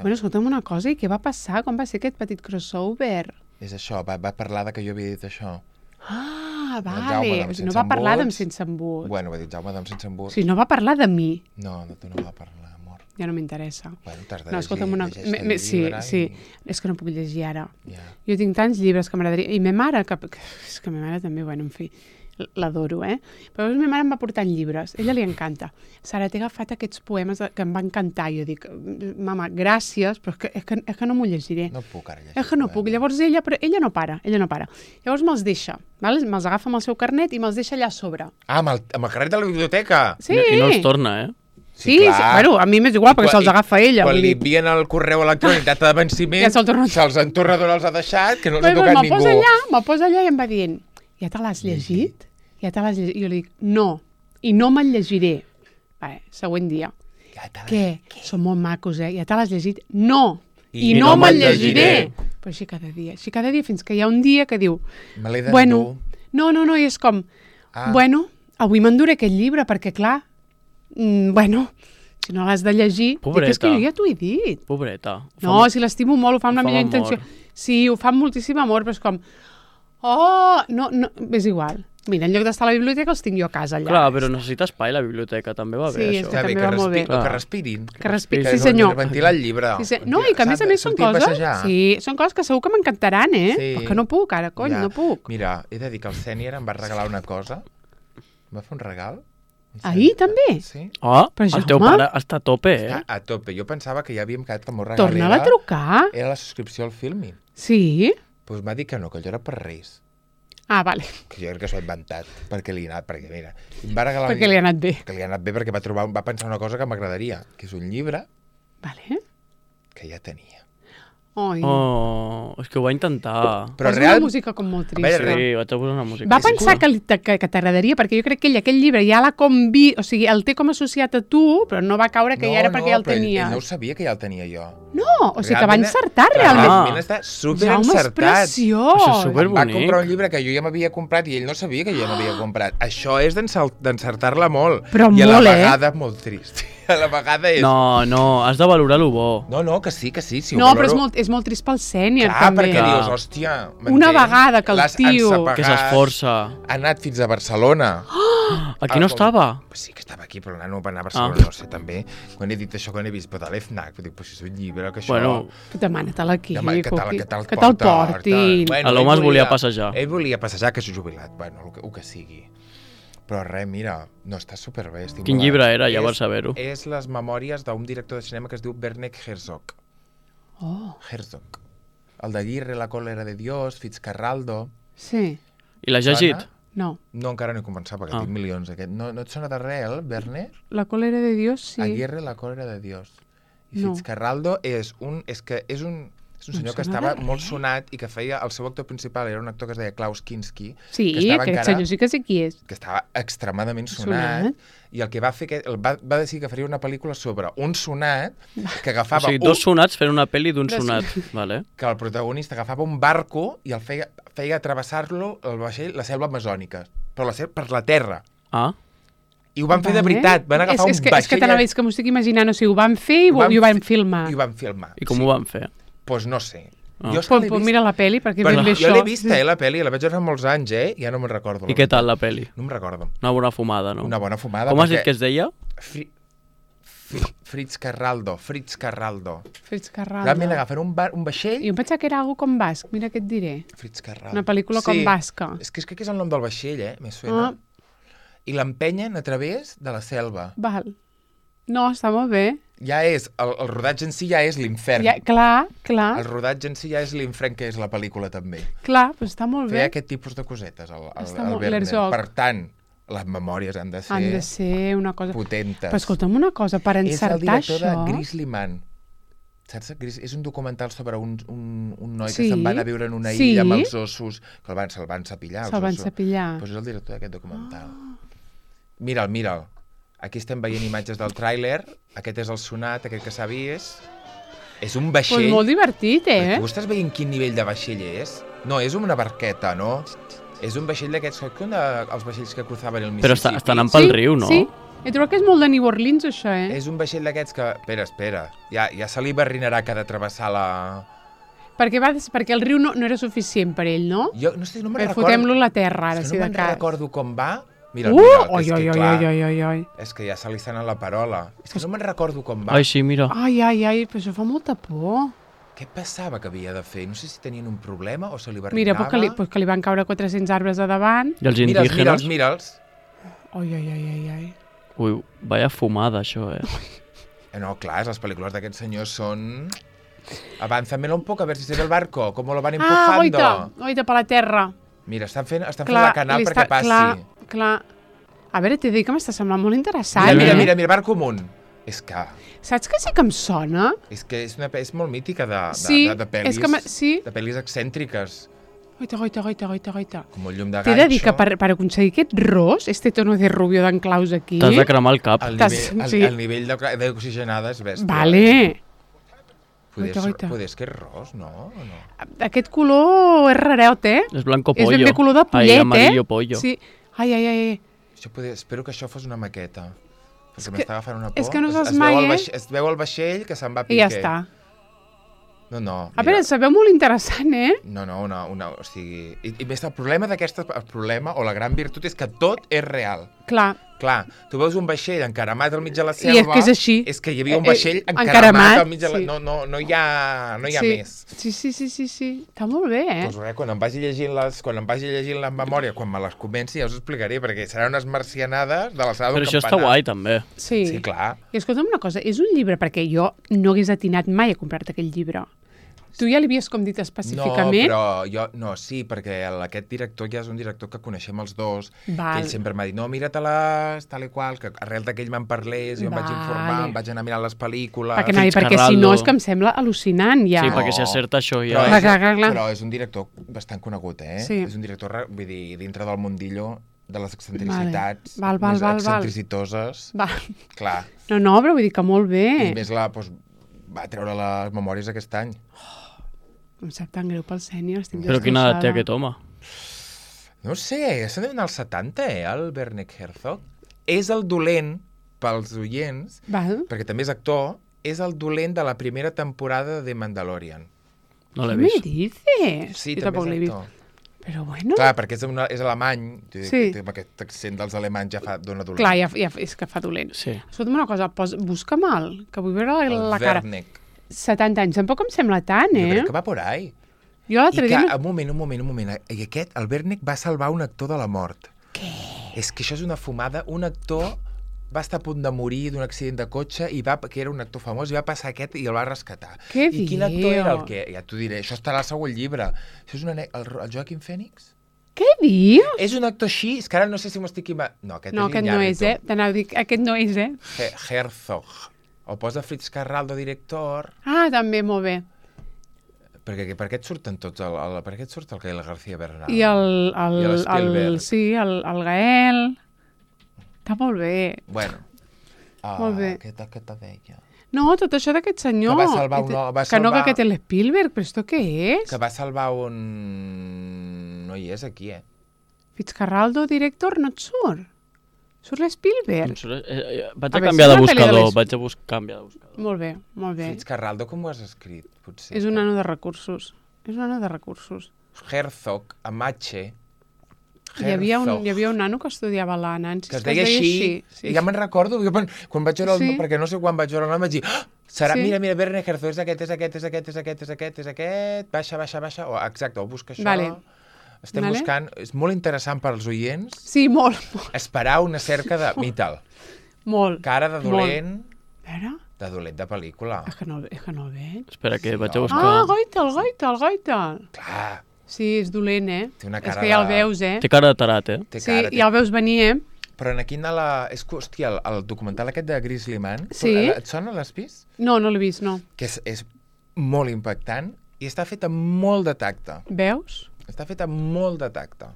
Bueno, escolta'm una cosa, i què va passar? Com va ser aquest petit crossover? És això, va parlar de que jo havia dit això. Ah, Jaume vale. d'Am No sense va parlar d'en embuts. sense embut. Bueno, va dir Jaume d'Am sense embut. O sigui, no va parlar de mi. No, de tu no va parlar, amor. Ja no m'interessa. Bueno, t'has de No, escolta'm una... llegeix el Sí, llibre sí. i- És que no puc llegir ara. Ja. Jo tinc tants llibres que m'agradaria... I ma mare, que... és que ma mare també, bueno, en fi, l'adoro, eh? Però ma mare em va portant llibres. A ella li encanta. Sara, t'he agafat aquests poemes que em van encantar. Jo dic, mama, gràcies, però és que no m'ho llegiré. No puc ara llegir. És que no puc. Llavors però ella no para. Llavors me'ls deixa, val? Me'ls agafa amb el seu carnet i me'ls deixa allà a sobre. Ah, amb el carnet de la biblioteca! Sí. I no els torna, eh? Sí, bueno, a mi m'és igual, perquè se'ls agafa ella. Quan vull li dir. envien el correu electrònic data de venciment, Ja se'l torna. se'ls en tornador els ha deixat, que no els ha Bueno, tocat me'l posa ningú. allà, i em va dient, ja te l'has llegit? Ja te l'has llegit? I jo li dic, no, i no me'l llegiré. Vale, següent dia. Ja te l'has- Què? Són molt macos, eh? Ja te l'has llegit? No! I I no no me'l me'l llegiré! llegiré. Però així cada dia, fins que hi ha un dia que diu, Me l'he d'endur. bueno, no, i és com, Ah. bueno, avui m'enduré aquest llibre, perquè clar, bueno, si no l'has de llegir, dic, és que jo ja t'ho he dit. Pobreta. No, si l'estimo molt, ho fa amb la ho fa millor amb intenció. amor. Sí, ho fa amb moltíssim amor, però és com, no, és igual. Mira, en lloc d'estar a la biblioteca els tinc jo a casa allà. Clar, però necessita espai la biblioteca, també va bé, Sí, això. és que també va molt bé. Que respirin. Que respirin, Que sí senyor. Ventilar el llibre. Sí, no, i que a més són Sortir a coses... passejar. Sí, són coses que segur que m'encantaran, eh? Sí. Però que no puc ara, cony, Ja. no puc. Mira, he de dir que el sènior em va regalar una cosa. Em va fer un regal. Ahir també? Sí. Oh, Però, el teu Jaume? pare està a tope, eh? Està a tope. Jo pensava que ja havíem quedat que el meu regal Torna-la a trucar. era la subscripció al Filmin. Sí? Doncs m'ha dit que no, que allò era per Reis. Ah, vale. Que jo crec que s'ho ha inventat, perquè li ha anat, perquè mira, em va regalar... Perquè li ha anat bé. Que li ha anat bé perquè va pensar una cosa que m'agradaria, que és un llibre Vale. que ja tenia. Oi. Oh, és que ho va intentar. Però Posa real... una música com molt A veure, trista. Sí, vaig a posar una música. Va pensar que t'agradaria, perquè jo crec que ell aquell llibre ja l'ha o sigui, el té com associat a tu, però no va caure que ja era perquè ja el però tenia. ell no ho sabia que ja el tenia jo. No, o sigui que va Realment- encertar realment. Realment està super Jaume, és encertat. preciós. Això és super- Em va bonic. comprar un llibre que jo ja m'havia comprat i ell no sabia que jo ja m'havia comprat. Això és d'encertar-la molt. Però I a la molt, eh? vegada molt trist. A la vegada és... No, has de valorar lo bo. No, que sí. Si ho No, però valoro... és molt trist pel sènior, Clar, també. perquè Clar. dius, hòstia... Una m'entens? vegada que el L'has tio- ensapegat, Que s'esforça. Ha anat fins a Barcelona. Aquí no estava? Pues sí que estava aquí, però el nano va anar a Barcelona, no sé, també. Quan he dit això, quan he vist, però de l'EFNAC, dic, però si és un llibre, que això... Bueno, Demana-te'l aquí, Demà, que Coqui. te'l Que te'l porta, portin. Bueno, A l'home ell es volia passejar. Ell volia passejar, que és jubilat, bueno, el que sigui. Però res, mira, no, està superbé. Quin llibre era, ja per saber-ho? És les memòries d'un director de cinema que es diu Werner Herzog. Oh, Herzog. El de Aguirre, La cólera de Dios, Fitzcarraldo... sí. I l'has llegit? Sona? No. No, encara no he començat, perquè tinc milions. Aquest. No et sona de res, el Werner? La cólera de Dios, sí. Aguirre, La cólera de Dios. I No. Fitzcarraldo és un senyor que sona estava de molt res. sonat i que feia... El seu actor principal era un actor que es deia Klaus Kinski, Sí, que estava aquest senyor sí que sé qui és. que estava extremadament sonat, i el que va fer va decidir que faria una pel·lícula sobre un sonat que O agafava sigui, dos sonats fent una pel·li d'un Dos sonat. Vale. que el protagonista agafava un barco i el feia travessar-lo el vaixell la selva amazònica, però per la terra. Ah, I ho van fer de veritat, van agafar un vaixell... És que t'anava a dir que m'ho estic imaginant, o sigui, ho van fer i ho van filmar. I ho van filmar. I com ho van fer? Doncs no sé. Pues mira la pel·li, perquè ben bé jo això... l'he vista, la pel·li, la vaig veure fa molts anys, ja no me'n recordo. I què tal la pel·li? No me'n recordo. Una bona fumada, no? Una bona fumada. Com has dit que es deia? Fritz Carraldo. Realment agafen un vaixell... Jo em pensava que era algo com basc, mira què et diré. Fritz Carraldo. Una pel·lícula com basca. És que és el nom del vaixell, me suena. I l'empenyen a través de la selva. Val. No, està molt bé. Ja és, el rodatge en si ja és l'infern. Clar. El rodatge en si ja és l'infern, que és la pel·lícula també. Clar, però està molt bé. Feia aquest tipus de cosetes, el Werner. Per tant, les memòries han de ser una cosa potentes. Però escolta'm una cosa, per encertar això... És el director de Grizzly Man. Saps? És un documental sobre un noi que se'n va anar a viure en una illa amb els ossos, que se'l van cepillar. Se'l van cepillar. Doncs és el director d'aquest documental. Mira'l. Aquí estem veient imatges del tràiler. Aquest és el sonat, aquest que s'ha vist. És un vaixell... Pues molt divertit, Tu estàs veient quin nivell de vaixell és? No, és una barqueta, no? És un vaixell d'aquests... Els vaixells que cruzaven el Mississippi. Però està anant pel riu, no? Sí. He trobat que és molt de New Orleans, això, És un vaixell d'aquests que... Espera. Ja se li barrinarà que ha de travessar la... Perquè el riu no era suficient per ell, no? Jo no me'n recordo. Fotem-lo a la terra, ara, si de cas. No me'n recordo com va. Mira, és que ja se li sent la parola. És que no me'n recordo com va. Ai, sí, mira. Ai, però això fa molta por. Què passava que havia de fer? No sé si tenien un problema o se li barrinava. Mira, pues que li van caure 400 arbres a davant. I els indígenes? Mira'ls. Ai. Ui, vaya fumada, això, No, clar, les pel·lícules d'aquests senyors són... Avánzamelo un poco, a ver si se ve el barco, cómo lo van empujando. Oita, per la terra. Mira, estan fent la canal perquè passi. Clar. A veure, t'he dit que m'està semblant molt interessant. Mira, barco amunt. És que... Saps que sí que em sona? És que és molt mítica de pel·lis. De pel·lis excèntriques. Goita. Com un llum de ganxo. T'he de dir que per aconseguir aquest ros, tono de rubio d'en Claus aquí... T'has de cremar el cap. El nivell d'oxigenada és bèstia. Vale. Poder és que és ros, no? Aquest color és rareot, És blanco pollo. És ben bé color de pollet, amarillo pollo. Sí. Ai. Espero que això fos una maqueta. Perquè m'està agafant una por. És que no saps mai, Es veu el vaixell que se'n va a piqué. I ja està. No. A veure, se veu molt interessant, No, o sigui... I més el problema o la gran virtut és que tot és real. Clar, tu veus un vaixell encaramat al mig de la selva... I és que és així. És que hi havia un vaixell encaramat al mig de la... No hi ha més. Sí. Està molt bé, Doncs res, quan em vagi llegint la memòria, quan me les comenci, ja us explicaré, perquè seran unes marcianades de l'alçada d'un campanar. Però això està guai, també. Sí, clar. I escolta'm una cosa, és un llibre, perquè jo no hagués atinat mai a comprar-te aquell llibre. Tu ja l'havies com dit específicament? Sí, perquè aquest director ja és un director que coneixem els dos, que ell sempre m'ha dit, no, mira-te-les, tal i qual, que arrel d'aquell me'n parlés, jo em vaig informar, em vaig anar a mirar les pel·lícules... Perquè si no és que em sembla al·lucinant, ja. Sí, perquè si acerta això ja... Però és un director bastant conegut, Sí. És un director, vull dir, dintre del mundillo de les excentricitats, Val. excentricitoses... Clar. No, però vull dir que molt bé. I més va treure les memòries aquest any. Em sap tan greu pel sènior, estic destrossada. Però quina edat té aquest home? No sé, se n'ha d'anar als 70, el Werner Herzog. És el dolent, pels oients, perquè també és actor, és el dolent de la primera temporada de Mandalorian. No l'he vist. Què me dices? Sí, també és actor. Però bueno... Clar, perquè és alemany, amb aquest accent dels alemanys ja dona dolent. Clar, ja és que fa dolent. Sí. Escolta'm una cosa, busca'm que vull veure la cara. El Werner. 70 anys, tampoc em sembla tant, Jo crec que va por ahí. Jo l'altre dia... Un moment. I aquest, el Werner va salvar un actor de la mort. Què? És que això és una fumada. Un actor va estar a punt de morir d'un accident de cotxe, que era un actor famós, i va passar aquest i el va rescatar. Què diu? I quin actor era el que... Ja t'ho diré, això estarà al segon llibre. Això és el Joaquin Phoenix? Què dius? És un actor així, és que ara no sé si m'ho estic... No, aquest no és, T'anava a dir, aquest no és, Herzog. O posa Fritz Carraldo, director... Ah, també, molt bé. Per què et surten tots? Per què et surt el Gael García Bernal? I el Gael... Està molt bé. Bueno. Molt bé. Què te deia? No, tot això d'aquest senyor... Que va salvar que no, que aquest és l'Spielberg, però esto què és? Que va salvar un... No hi és aquí, Fitzcarraldo, director, no et surt? Surt l'Spielberg? Vaig a canviar de buscador, Molt bé, molt bé. Fitzcarraldo, com ho has escrit? Potser. És un nano de recursos. Herzog, amb H. Hi havia un nano que estudiava la Nancy. Que es deia així. Sí. Ja me'n recordo. Quan vaig veure perquè no sé quan vaig veure el nom, vaig dir... Serà, mira, Werner Herzog, és aquest. Baixa. Exacte, ho busca això. Vale. Estem buscant... És molt interessant per als oients. Sí, molt. Esperar una cerca de... Mital. Molt. Cara de dolent. A veure... De dolent de pel·lícula. És que no el veig. Espera, que vaig a buscar... Ah, Goitel. Clar. Sí, és dolent, Té una cara és que ja el veus, Té cara de tarat, Sí, ja el veus venir, Però aquí és que, hòstia, el documental aquest de Grizzly Man, sí? Et sona, l'has vist? No l'he vist, no. Que és molt impactant i està fet amb molt de tacte. Veus? Està fet amb molt de tacte.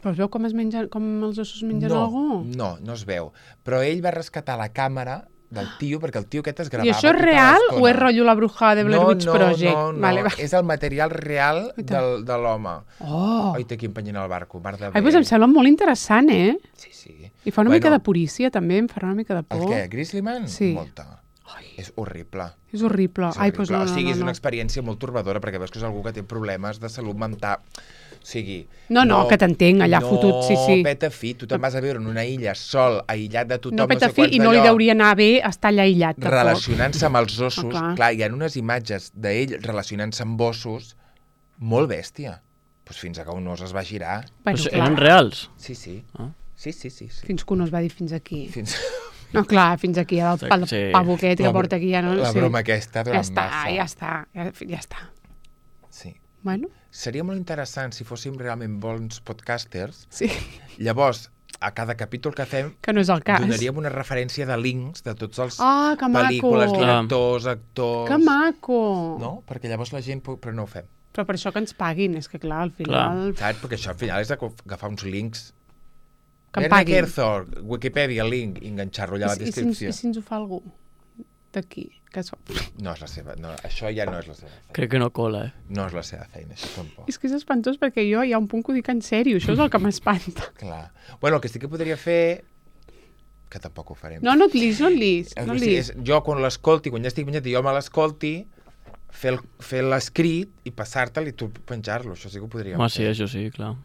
Però es veu com els ossos mengen algú? No es veu. Però ell va rescatar la càmera del tio, perquè el tio aquest es gravava... I això és real o és rotllo la bruja de Blair Witch Project? No, vale. És el material real de l'home. Oi, té aquí empenyent el barco, mar de bé. Ai, doncs em sembla molt interessant, Sí. I fa una mica de purícia, també, em farà una mica de por. El què? Grizzly Man? Sí. Molta. És horrible. És horrible. Ai, doncs no. O sigui, és una experiència molt torbadora, perquè veus que és algú que té problemes de salut mental. O sigui... No, que t'entenc, allà fotut, sí. No, peta fi, tu te'n vas a viure en una illa sol, aïllat de tothom, no peta fi, i no li hauria anar bé estar allà aïllat. Relacionant-se amb els ossos, clar, hi ha unes imatges d'ell relacionant-se amb ossos molt bèstia. Doncs fins a que un os es va girar. Però eren reals? Sí. Sí. Fins que un os va dir fins aquí. No, clar, fins aquí, el pavo aquest que porta aquí ja no... La broma aquesta durant massa. Ja està. Sí. Bueno. Seria molt interessant si fóssim realment bons podcasters. Sí. Llavors, a cada capítol que fem... Que no és el cas. Donaríem una referència de links de tots els que pel·lícules, maco. directors, actors... Que maco! No? Perquè llavors la gent... Però no ho fem. Però per això que ens paguin, és que clar, al final... Saps? Perquè això al final és agafar uns links... Que em paguin. Herzog, Wikipedia, link, i enganxar-lo allà a la descripció. I si ens ho fa algú d'aquí? No és la seva... No, això ja no és la seva feina. Crec que no cola, No és la seva feina, això tampoc. És que és espantós perquè jo hi ha un punt que ho dic en sèrio, això és el que m'espanta. Clar. Bueno, el que sí que podria fer... Que tampoc ho farem. No et lis. Jo quan l'escolti, quan ja estic penjat i jo me l'escolti, fer l'escrit i passar-te'l i tu penjar-lo, això sí que ho podríem fer. Sí, això sí, clar.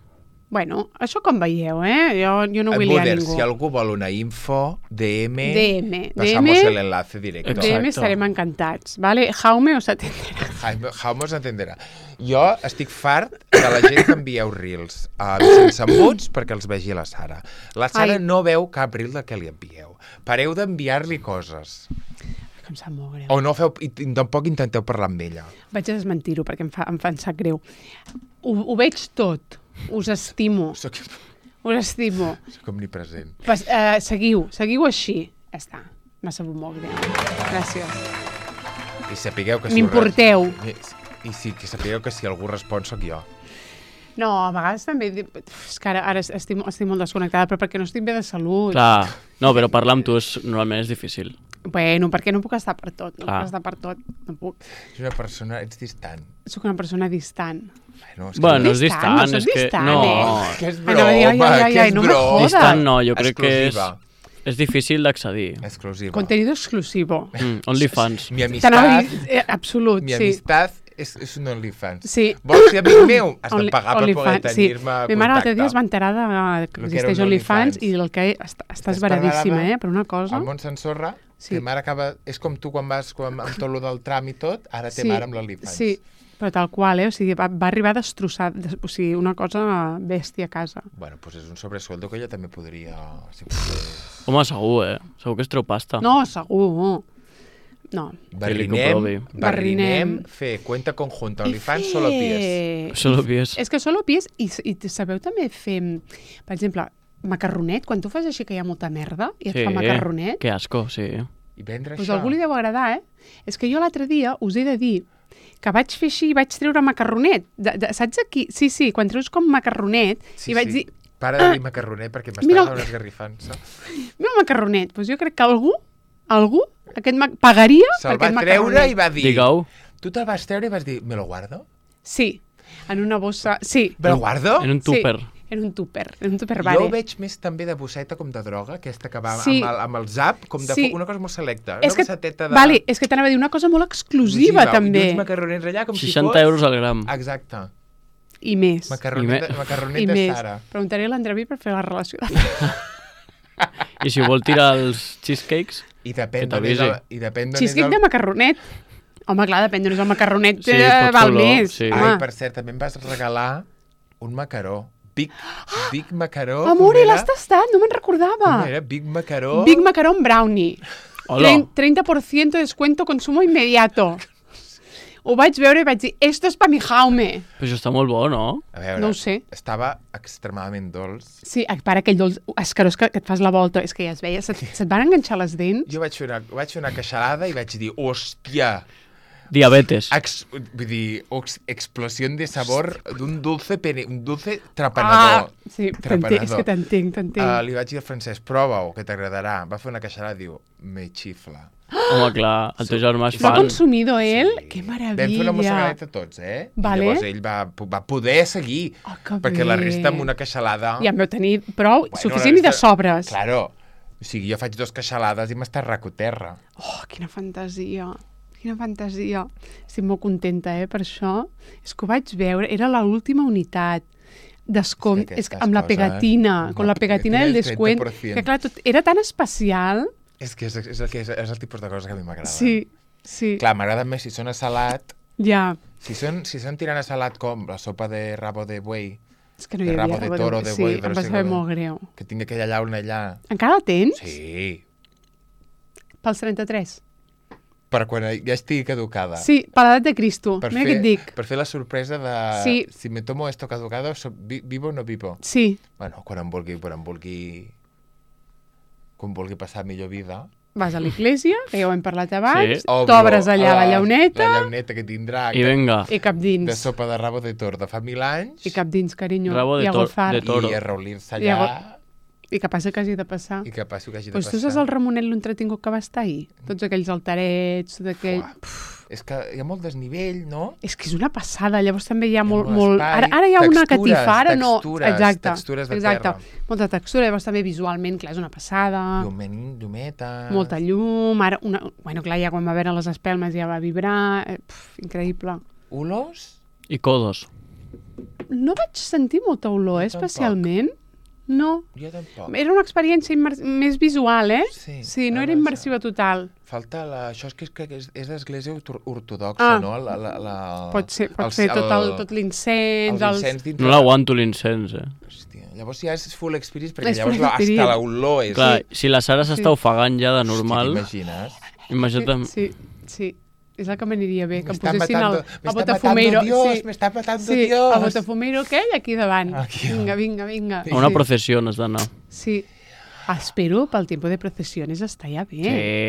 Bueno, això com veieu, Jo no vull liar ningú. Si algú vol una info, DM. Pasamos el enlace directo. DM estarem encantats, ¿vale? Jaume os atenderà. Jaume os atenderà. Jo estic fart de la gent que envieu reels sense embuts perquè els vegi la Sara. La Sara no veu cap reel de què li envieu. Pareu d'enviar-li coses. Em sap molt greu. O no feu, i tampoc intenteu parlar amb ella. Vaig a desmentir-ho perquè em fa sap greu. Ho veig tot. Us estimo. Us estimo. Soc omnipresent. Seguiu així. Ja està. M'ha sabut molt greu. Gràcies. I sapigueu que m'importeu. I que sapigueu que si algú respon sóc jo. No, a vegades també... És que ara estic molt desconnectada, però perquè no estic bé de salut. Clar. No, però parlar amb tu normalment és difícil. Bueno, perquè no puc estar per tot. No puc. Ets una persona... Ets distant. Soc una persona distant. Bueno, és distant. No soc distant, Que és broma, Distant no, jo crec que és difícil d'accedir. Exclusiva. Contenido exclusivo. OnlyFans. Mi amistad... Absolut, Mi amistad és un OnlyFans. Sí. Vols ser amic meu? Has de pagar per poder tenir-me contacte. Mi mare l'altre dia es va enterar que existeix OnlyFans i el que estàs veradíssima, per una cosa. El món s'ensorra. Sí. Mare acaba... És com tu quan vas amb tot el del tram i tot, ara té mare amb l'OnlyFans. Sí, però tal qual, O sigui, va arribar a destrossar, o sigui, una cosa bèstia a casa. Bueno, doncs és un sobresueldo que ella també podria... Home, segur, Segur que es treu pasta. No, segur. No. Barrinem, fer cuenta conjunta, OnlyFans, solo pies. És que solo pies, i sabeu també fer, per exemple, macarronet, quan tu fas així que hi ha molta merda i et fa macarronet... Que asco, sí. I vendre això. Doncs algú li deu agradar, És que jo l'altre dia us he de dir que vaig fer així i vaig treure macarronet. Saps aquí? Sí, quan treus com macarronet i vaig dir... Para de dir macarronet perquè m'està esgarrifant. Mira macarronet, doncs jo crec que algú pagaria se'l va treure i va dir... Digueu. Tu te'l vas treure i vas dir, ¿me lo guardo? Sí, en una bossa... Sí. ¿Me lo guardo? En un tupper. Sí. Era un tupper Jo vale. ho veig més també de bosseta com de droga, aquesta que va Sí. amb el zap, com de Sí. una cosa molt selecta. És Una que, bosseteta de... vale, és que t'anava a dir una cosa molt exclusiva, també. I uns macarronets allà com 60 si fos... euros al gram. Exacte. I més. Macarronet I de més. Sara. Preguntaré a l'Andreví per fer la relació. I si vol tirar els cheesecakes, I depèn Que d'on és t'avisi. el... I depèn d'on és Cheesecake de macarronet. Home, clar, depèn d'on és el macarronet, Sí, pot val fer-lo, més. sí. Home. Ai, per cert, també em vas regalar un macaró. Big macaró. Amore, com era? l'has tastat, no me'n recordava. Com era? Big macaró. Big Macaron Brownie. Hola. 30% de descuento, consumo inmediato. Ho vaig veure i vaig dir, esto es pa mi Jaume. però això està molt bo, no? A veure, No ho sé. Estava extremadament dolç. Sí, para aquell dolç escarós que et fas la volta, és que ja es veia, se't van enganxar les dents. Jo vaig fer una queixalada i vaig dir, hòstia, Diabetes. vull dir, explosió de sabor d'un dulce, un dulce trapanador. Sí, Trapanador. és que t'entenc. Li vaig dir al francès, prova-ho, que t'agradarà. Va fer una queixalada i diu, me xifla. Home, clar, el teu germà és L'ha fan. consumido ell? Que meravella. Vam fer una mossegadeta tots, Vale. I llavors ell va poder seguir, Oh, que perquè la bé. resta amb una queixalada... Ja en veu tenir prou, Bueno, suficient la i de resta- sobres. Claro. O sigui, jo faig 2 queixalades i m'està racoterra. Oh, quina fantasia. Quina fantasia. Estic molt contenta, per això. És que ho vaig veure, era l'última unitat. Descompte, és que amb la aquestes pegatina, coses, con la pegatina del del descuent, 30%. que clar, tot era tan especial. És que és el tipus de coses que a mi m'agrada. Sí, sí, Clar, m'agrada més si són a salat. ja. Si són tirant a salat com la sopa de rabo de buey, És que no hi de havia rabo de rabo toro, de sí, buey, em de no va sé saber com. molt greu. que tinc aquella llauna allà. Encara la tens? Sí. Pels 33? Per quan ja estigui caducada. Sí, per l'edat de Cristo. Mira què et dic. Per fer la sorpresa de... Sí. Si me tomo esto caducado, vivo o no vivo? Sí, Bueno, quan vulgui passar millor vida... vas a l'església, que ja ho hem parlat abans, Sí. t'obres allà la llauneta La llauneta que tindrà I venga, i cap de dins. sopa de rabo de tor de fa 1000 anys I cap dins, carinyo. Rabo de I a tor- golfar. de toro. i a reulir-se I a allà I que passa que hagi de passar. i que passi que hagi de Pues tu passar. saps el Ramonet l'entretingut que va estar ahir? Tots aquells altarets, tot aquell... Fuà. És que hi ha molt desnivell, no? És que és una passada, llavors també hi ha molt... molt espai, Ara hi ha una textures, catifa, ara no... textures, Exacte, textures de exacte. terra. Molta textura, llavors també visualment, clar, és una passada. Llumeta... Molta llum, ara... Bueno, clar, ja quan va veure les espelmes ja va vibrar... Increïble. Olors? i codos. No vaig sentir molta olor, Jo tampoc. especialment. No. Jo tampoc. Era una experiència més visual, Sí, no era ara immersiva total. Falta això és que és l'església ortodoxa, no? Pot ser tot l'incens... l'incens dintre... No l'aguanto l'incens, Hòstia, llavors ja és full experience, perquè És llavors full experience. hasta l'olor és... Clar, si la Sara s'està ofegant ja de normal, T'imagines? imagina't... Sí. És el que m'aniria bé, que em Me está posessin matando- el me está botafumeiro. matando Dios, me está matando sí, Dios. el botafumeiro aquell aquí davant. Aquí. Vinga. A una processió has d'anar. Sí. Espero pel tiempo de procesiones està ja bé. Sí,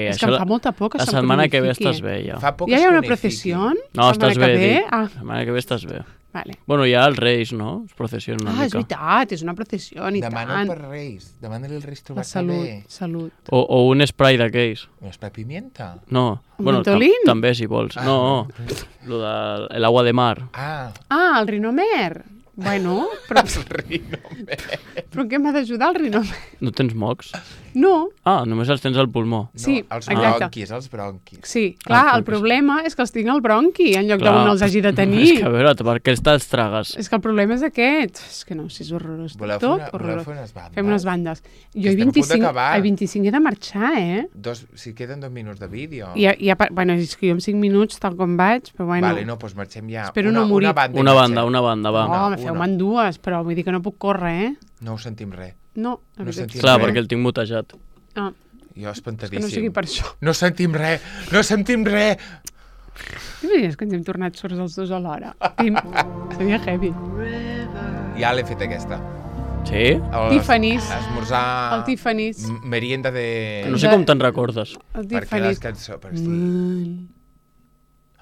És que això em fa molta por que La se'm setmana que ve cronifiqui. estàs bé, ja. Fa poc Ja es hi ha una cronifiqui. processió? No, estàs bé, dic. Ah, La setmana que ve estàs bé. vale. Bueno, hi ha els Reis, no? Es processionen una És mica. veritat, és una processió, i Demana tant. per Reis. Demana-li als Reis La trobar-se salut, bé. salut. O un spray d'aquells. Un espai pimienta? No. Un Bueno, mentolín? també, si vols. No, lo de l'agua de mar. Ah, Ah, el rinomer. Bueno, però en què m'ha d'ajudar el rinomer? No tens mocs? No, Ah, només els tens al pulmó. no, Sí, els exacte. bronquis. sí, clar, el doncs. problema és que els tinc al bronqui en lloc Clar. d'on els hagi de És tenir. que a veure, per què te'ls tragues? És que el problema és aquest. És que no, si és horrorós. Voleu Tot fer horrorós. unes bandes? Fem unes bandes. Jo Que a estem a punt 25, d'acabar. a 25 he de marxar, Si queden 2 minuts de vídeo. Bueno, és que jo en 5 minuts, tal com vaig, però bueno... Vale, no, doncs marxem ja. Espero no morir. Una banda, i Una marxem. banda, va. Oh, me feu-me'n dues, però vull dir que no puc córrer, No ho sentim res. No, la No veritat sentim és Clar, que- perquè el tinc mutejat. Ah, Jo que espantadíssim. no sigui per això. No sentim res! No sentim res! T'imagines que ens hem tornat sords els dos alhora? Seria heavy. Ja l'he fet aquesta. Sí? Tiffany's. Esmorzar... El Tiffany's. Merienda de... No sé com te'n recordes. El Perquè les Tiffany's. cançons... Per sí.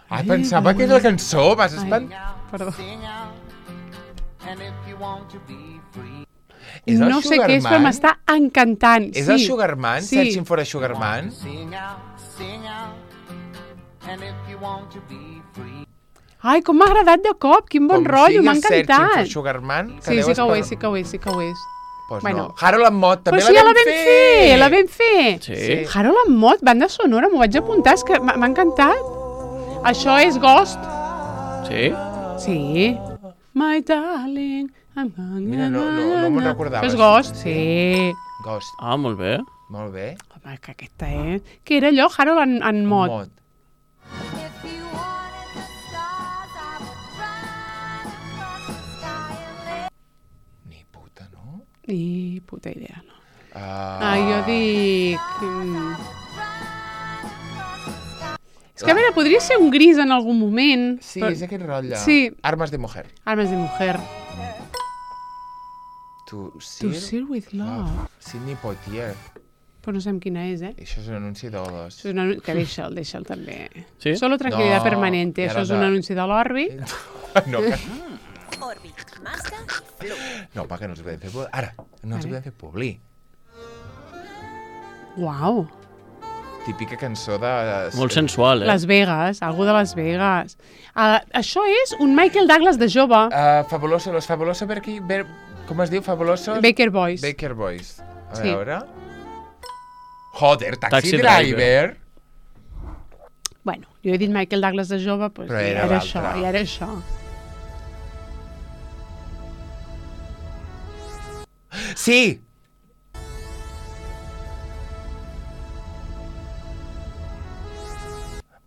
Ai, pensava que era la cançó, vas espantar. Perdó. És el No sé què és, però Sugarman? m'està encantant. És sí. el Sugarman? Sí. Searching for a Sugarman? Ai, com m'ha agradat de cop, quin bon rotllo, m'ha encantat. Com sigui Searching for Sugar Man, que Sí, sí que ho és, sí que ho és, sí que ho és. Pues Bueno. no. Harold and Maude, també Però sí, ja la vam fer, la vam fer. Sí. Harold and Maude, banda sonora, m'ho vaig apuntar, és que m'ha encantat. Això és Ghost. Sí? Sí. My darling. Mira, no me'n recordava. És Ghost, sí. Ghost, Ah, molt bé. molt bé. Home, que aquesta és... Què era allò? Harold and Maude. Maude. Ni puta, no? Ni puta idea, no. Ah, Jo dic... És que, a veure, podria ser un gris en algun moment. Sí, però... és aquest rotllo. Sí. Armes de mujer. Armes de mujer. To To Seal With Love. Sidney Poitier. Però no sabem quina és, Això és un anunci d'Odos. Això és que deixa'l també. Sí? Solo tranquilidad No, permanente. i ara Això és un de- anunci de l'Orbit. No, Orbit, Mazda y Flu. no, perquè no els podem fer publi. Ara, no els Vale. podem fer publi. Uau. Típica cançó de... Molt sensual, Las Vegas, algú de Las Vegas. Això és un Michael Douglas de jove. Fabuloso, los Fabuloso com es diu? Fabulosos? Baker Boys. Baker Boys. A Sí. veure... Joder, Taxi Taxi Driver. Bueno, jo he dit Michael Douglas de jove, doncs Però ja era era l'altre. això, ja era això. Sí!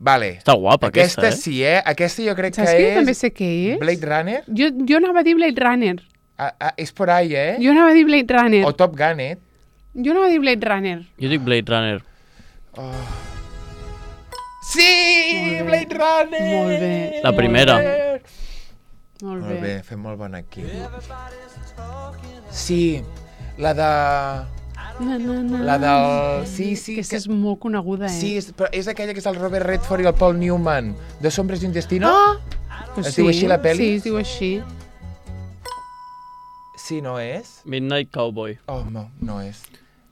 Vale. Està guapa, aquesta, sí, Aquesta jo crec Saps que que és... també sé què és? Blade Runner? Jo anava a dir Blade Runner. És por ahí, Jo anava a dir Blade Runner. O Top Gun, Jo anava a dir Blade Runner. Jo dic Blade Runner. Sí! Molt bé. Blade Runner! Molt bé. La primera. Molt Molt bé, bé. fem molt bon aquí. Sí, la de... La del... Sí, sí. Aquesta és molt coneguda, eh? Sí, però és aquella que és el Robert Redford i el Paul Newman, de Sombres y un Destino. Pues Es diu així la pel·li? Sí, es diu així. Sí, no és? Midnight Cowboy. Oh, no és.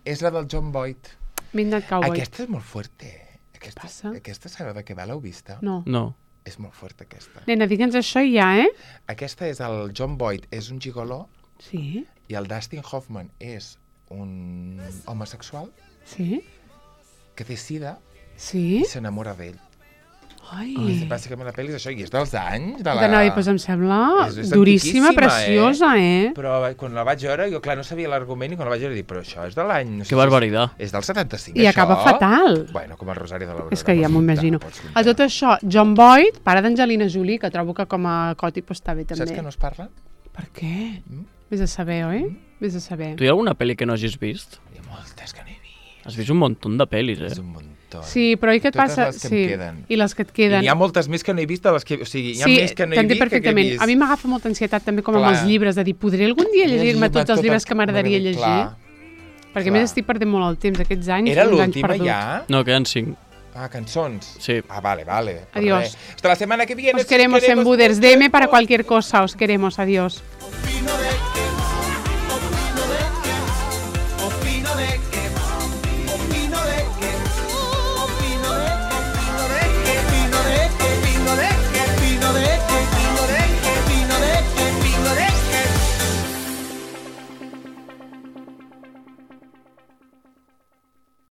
És la del John Boyd. Midnight Cowboy. Aquesta és molt fuerte. Passa? Aquesta sabe de què va? L'heu vista? No. No. És molt fuerte, aquesta. Nena, digue'ns això ja, eh? Aquesta és el John Boyd, és un gigoló, Sí, i el Dustin Hoffman és un homosexual sí, que té sida sí. i s'enamora d'ell. Ai. Bàsicament la pel·li és això, i és dels anys de la... D'anava a dir, doncs em sembla És duríssima, antiquíssima, preciosa, eh? Però quan la vaig veure, jo clar no sabia l'argument i quan la vaig veure dic, però això és de l'any... No sé Que barbaritat. És del 75, I això? acaba fatal. Bueno, com el Rosari de l'Aurora. És que ja m'ho imagino. Pots A tot això, John Boyd, pare d'Angelina Jolie, que trobo que com a còtip està bé també. Saps que no es parla? Per què? Mm? Vés a saber, oi? Vés a saber. Tu hi ha alguna pel·li que no hagis vist? Hi ha moltes que no he vist. Has vist un munt de pel·lis, És eh? un muntó. Sí, però i què et Totes passa? les que em Sí, queden. i les que et I queden. n'hi ha moltes més que no he vist de les que... O sigui, hi ha Sí, més que no he t'entenc vist que he perfectament. vist. A mi m'agafa molta ansietat també com amb Clar. els llibres, de dir, podré algun dia llegir-me tots els tot llibres que m'agradaria m'agradaria- llegir? clar. Perquè a més estic perdent molt el temps aquests anys. Era uns anys l'última perduts. ja? No, queden 5. Ah, cançons. Sí. Ah, vale. Pues Adiós. Hasta la semana que viene. Os queremos en Buders. DM para cualquier cosa. Os queremos. Adiós.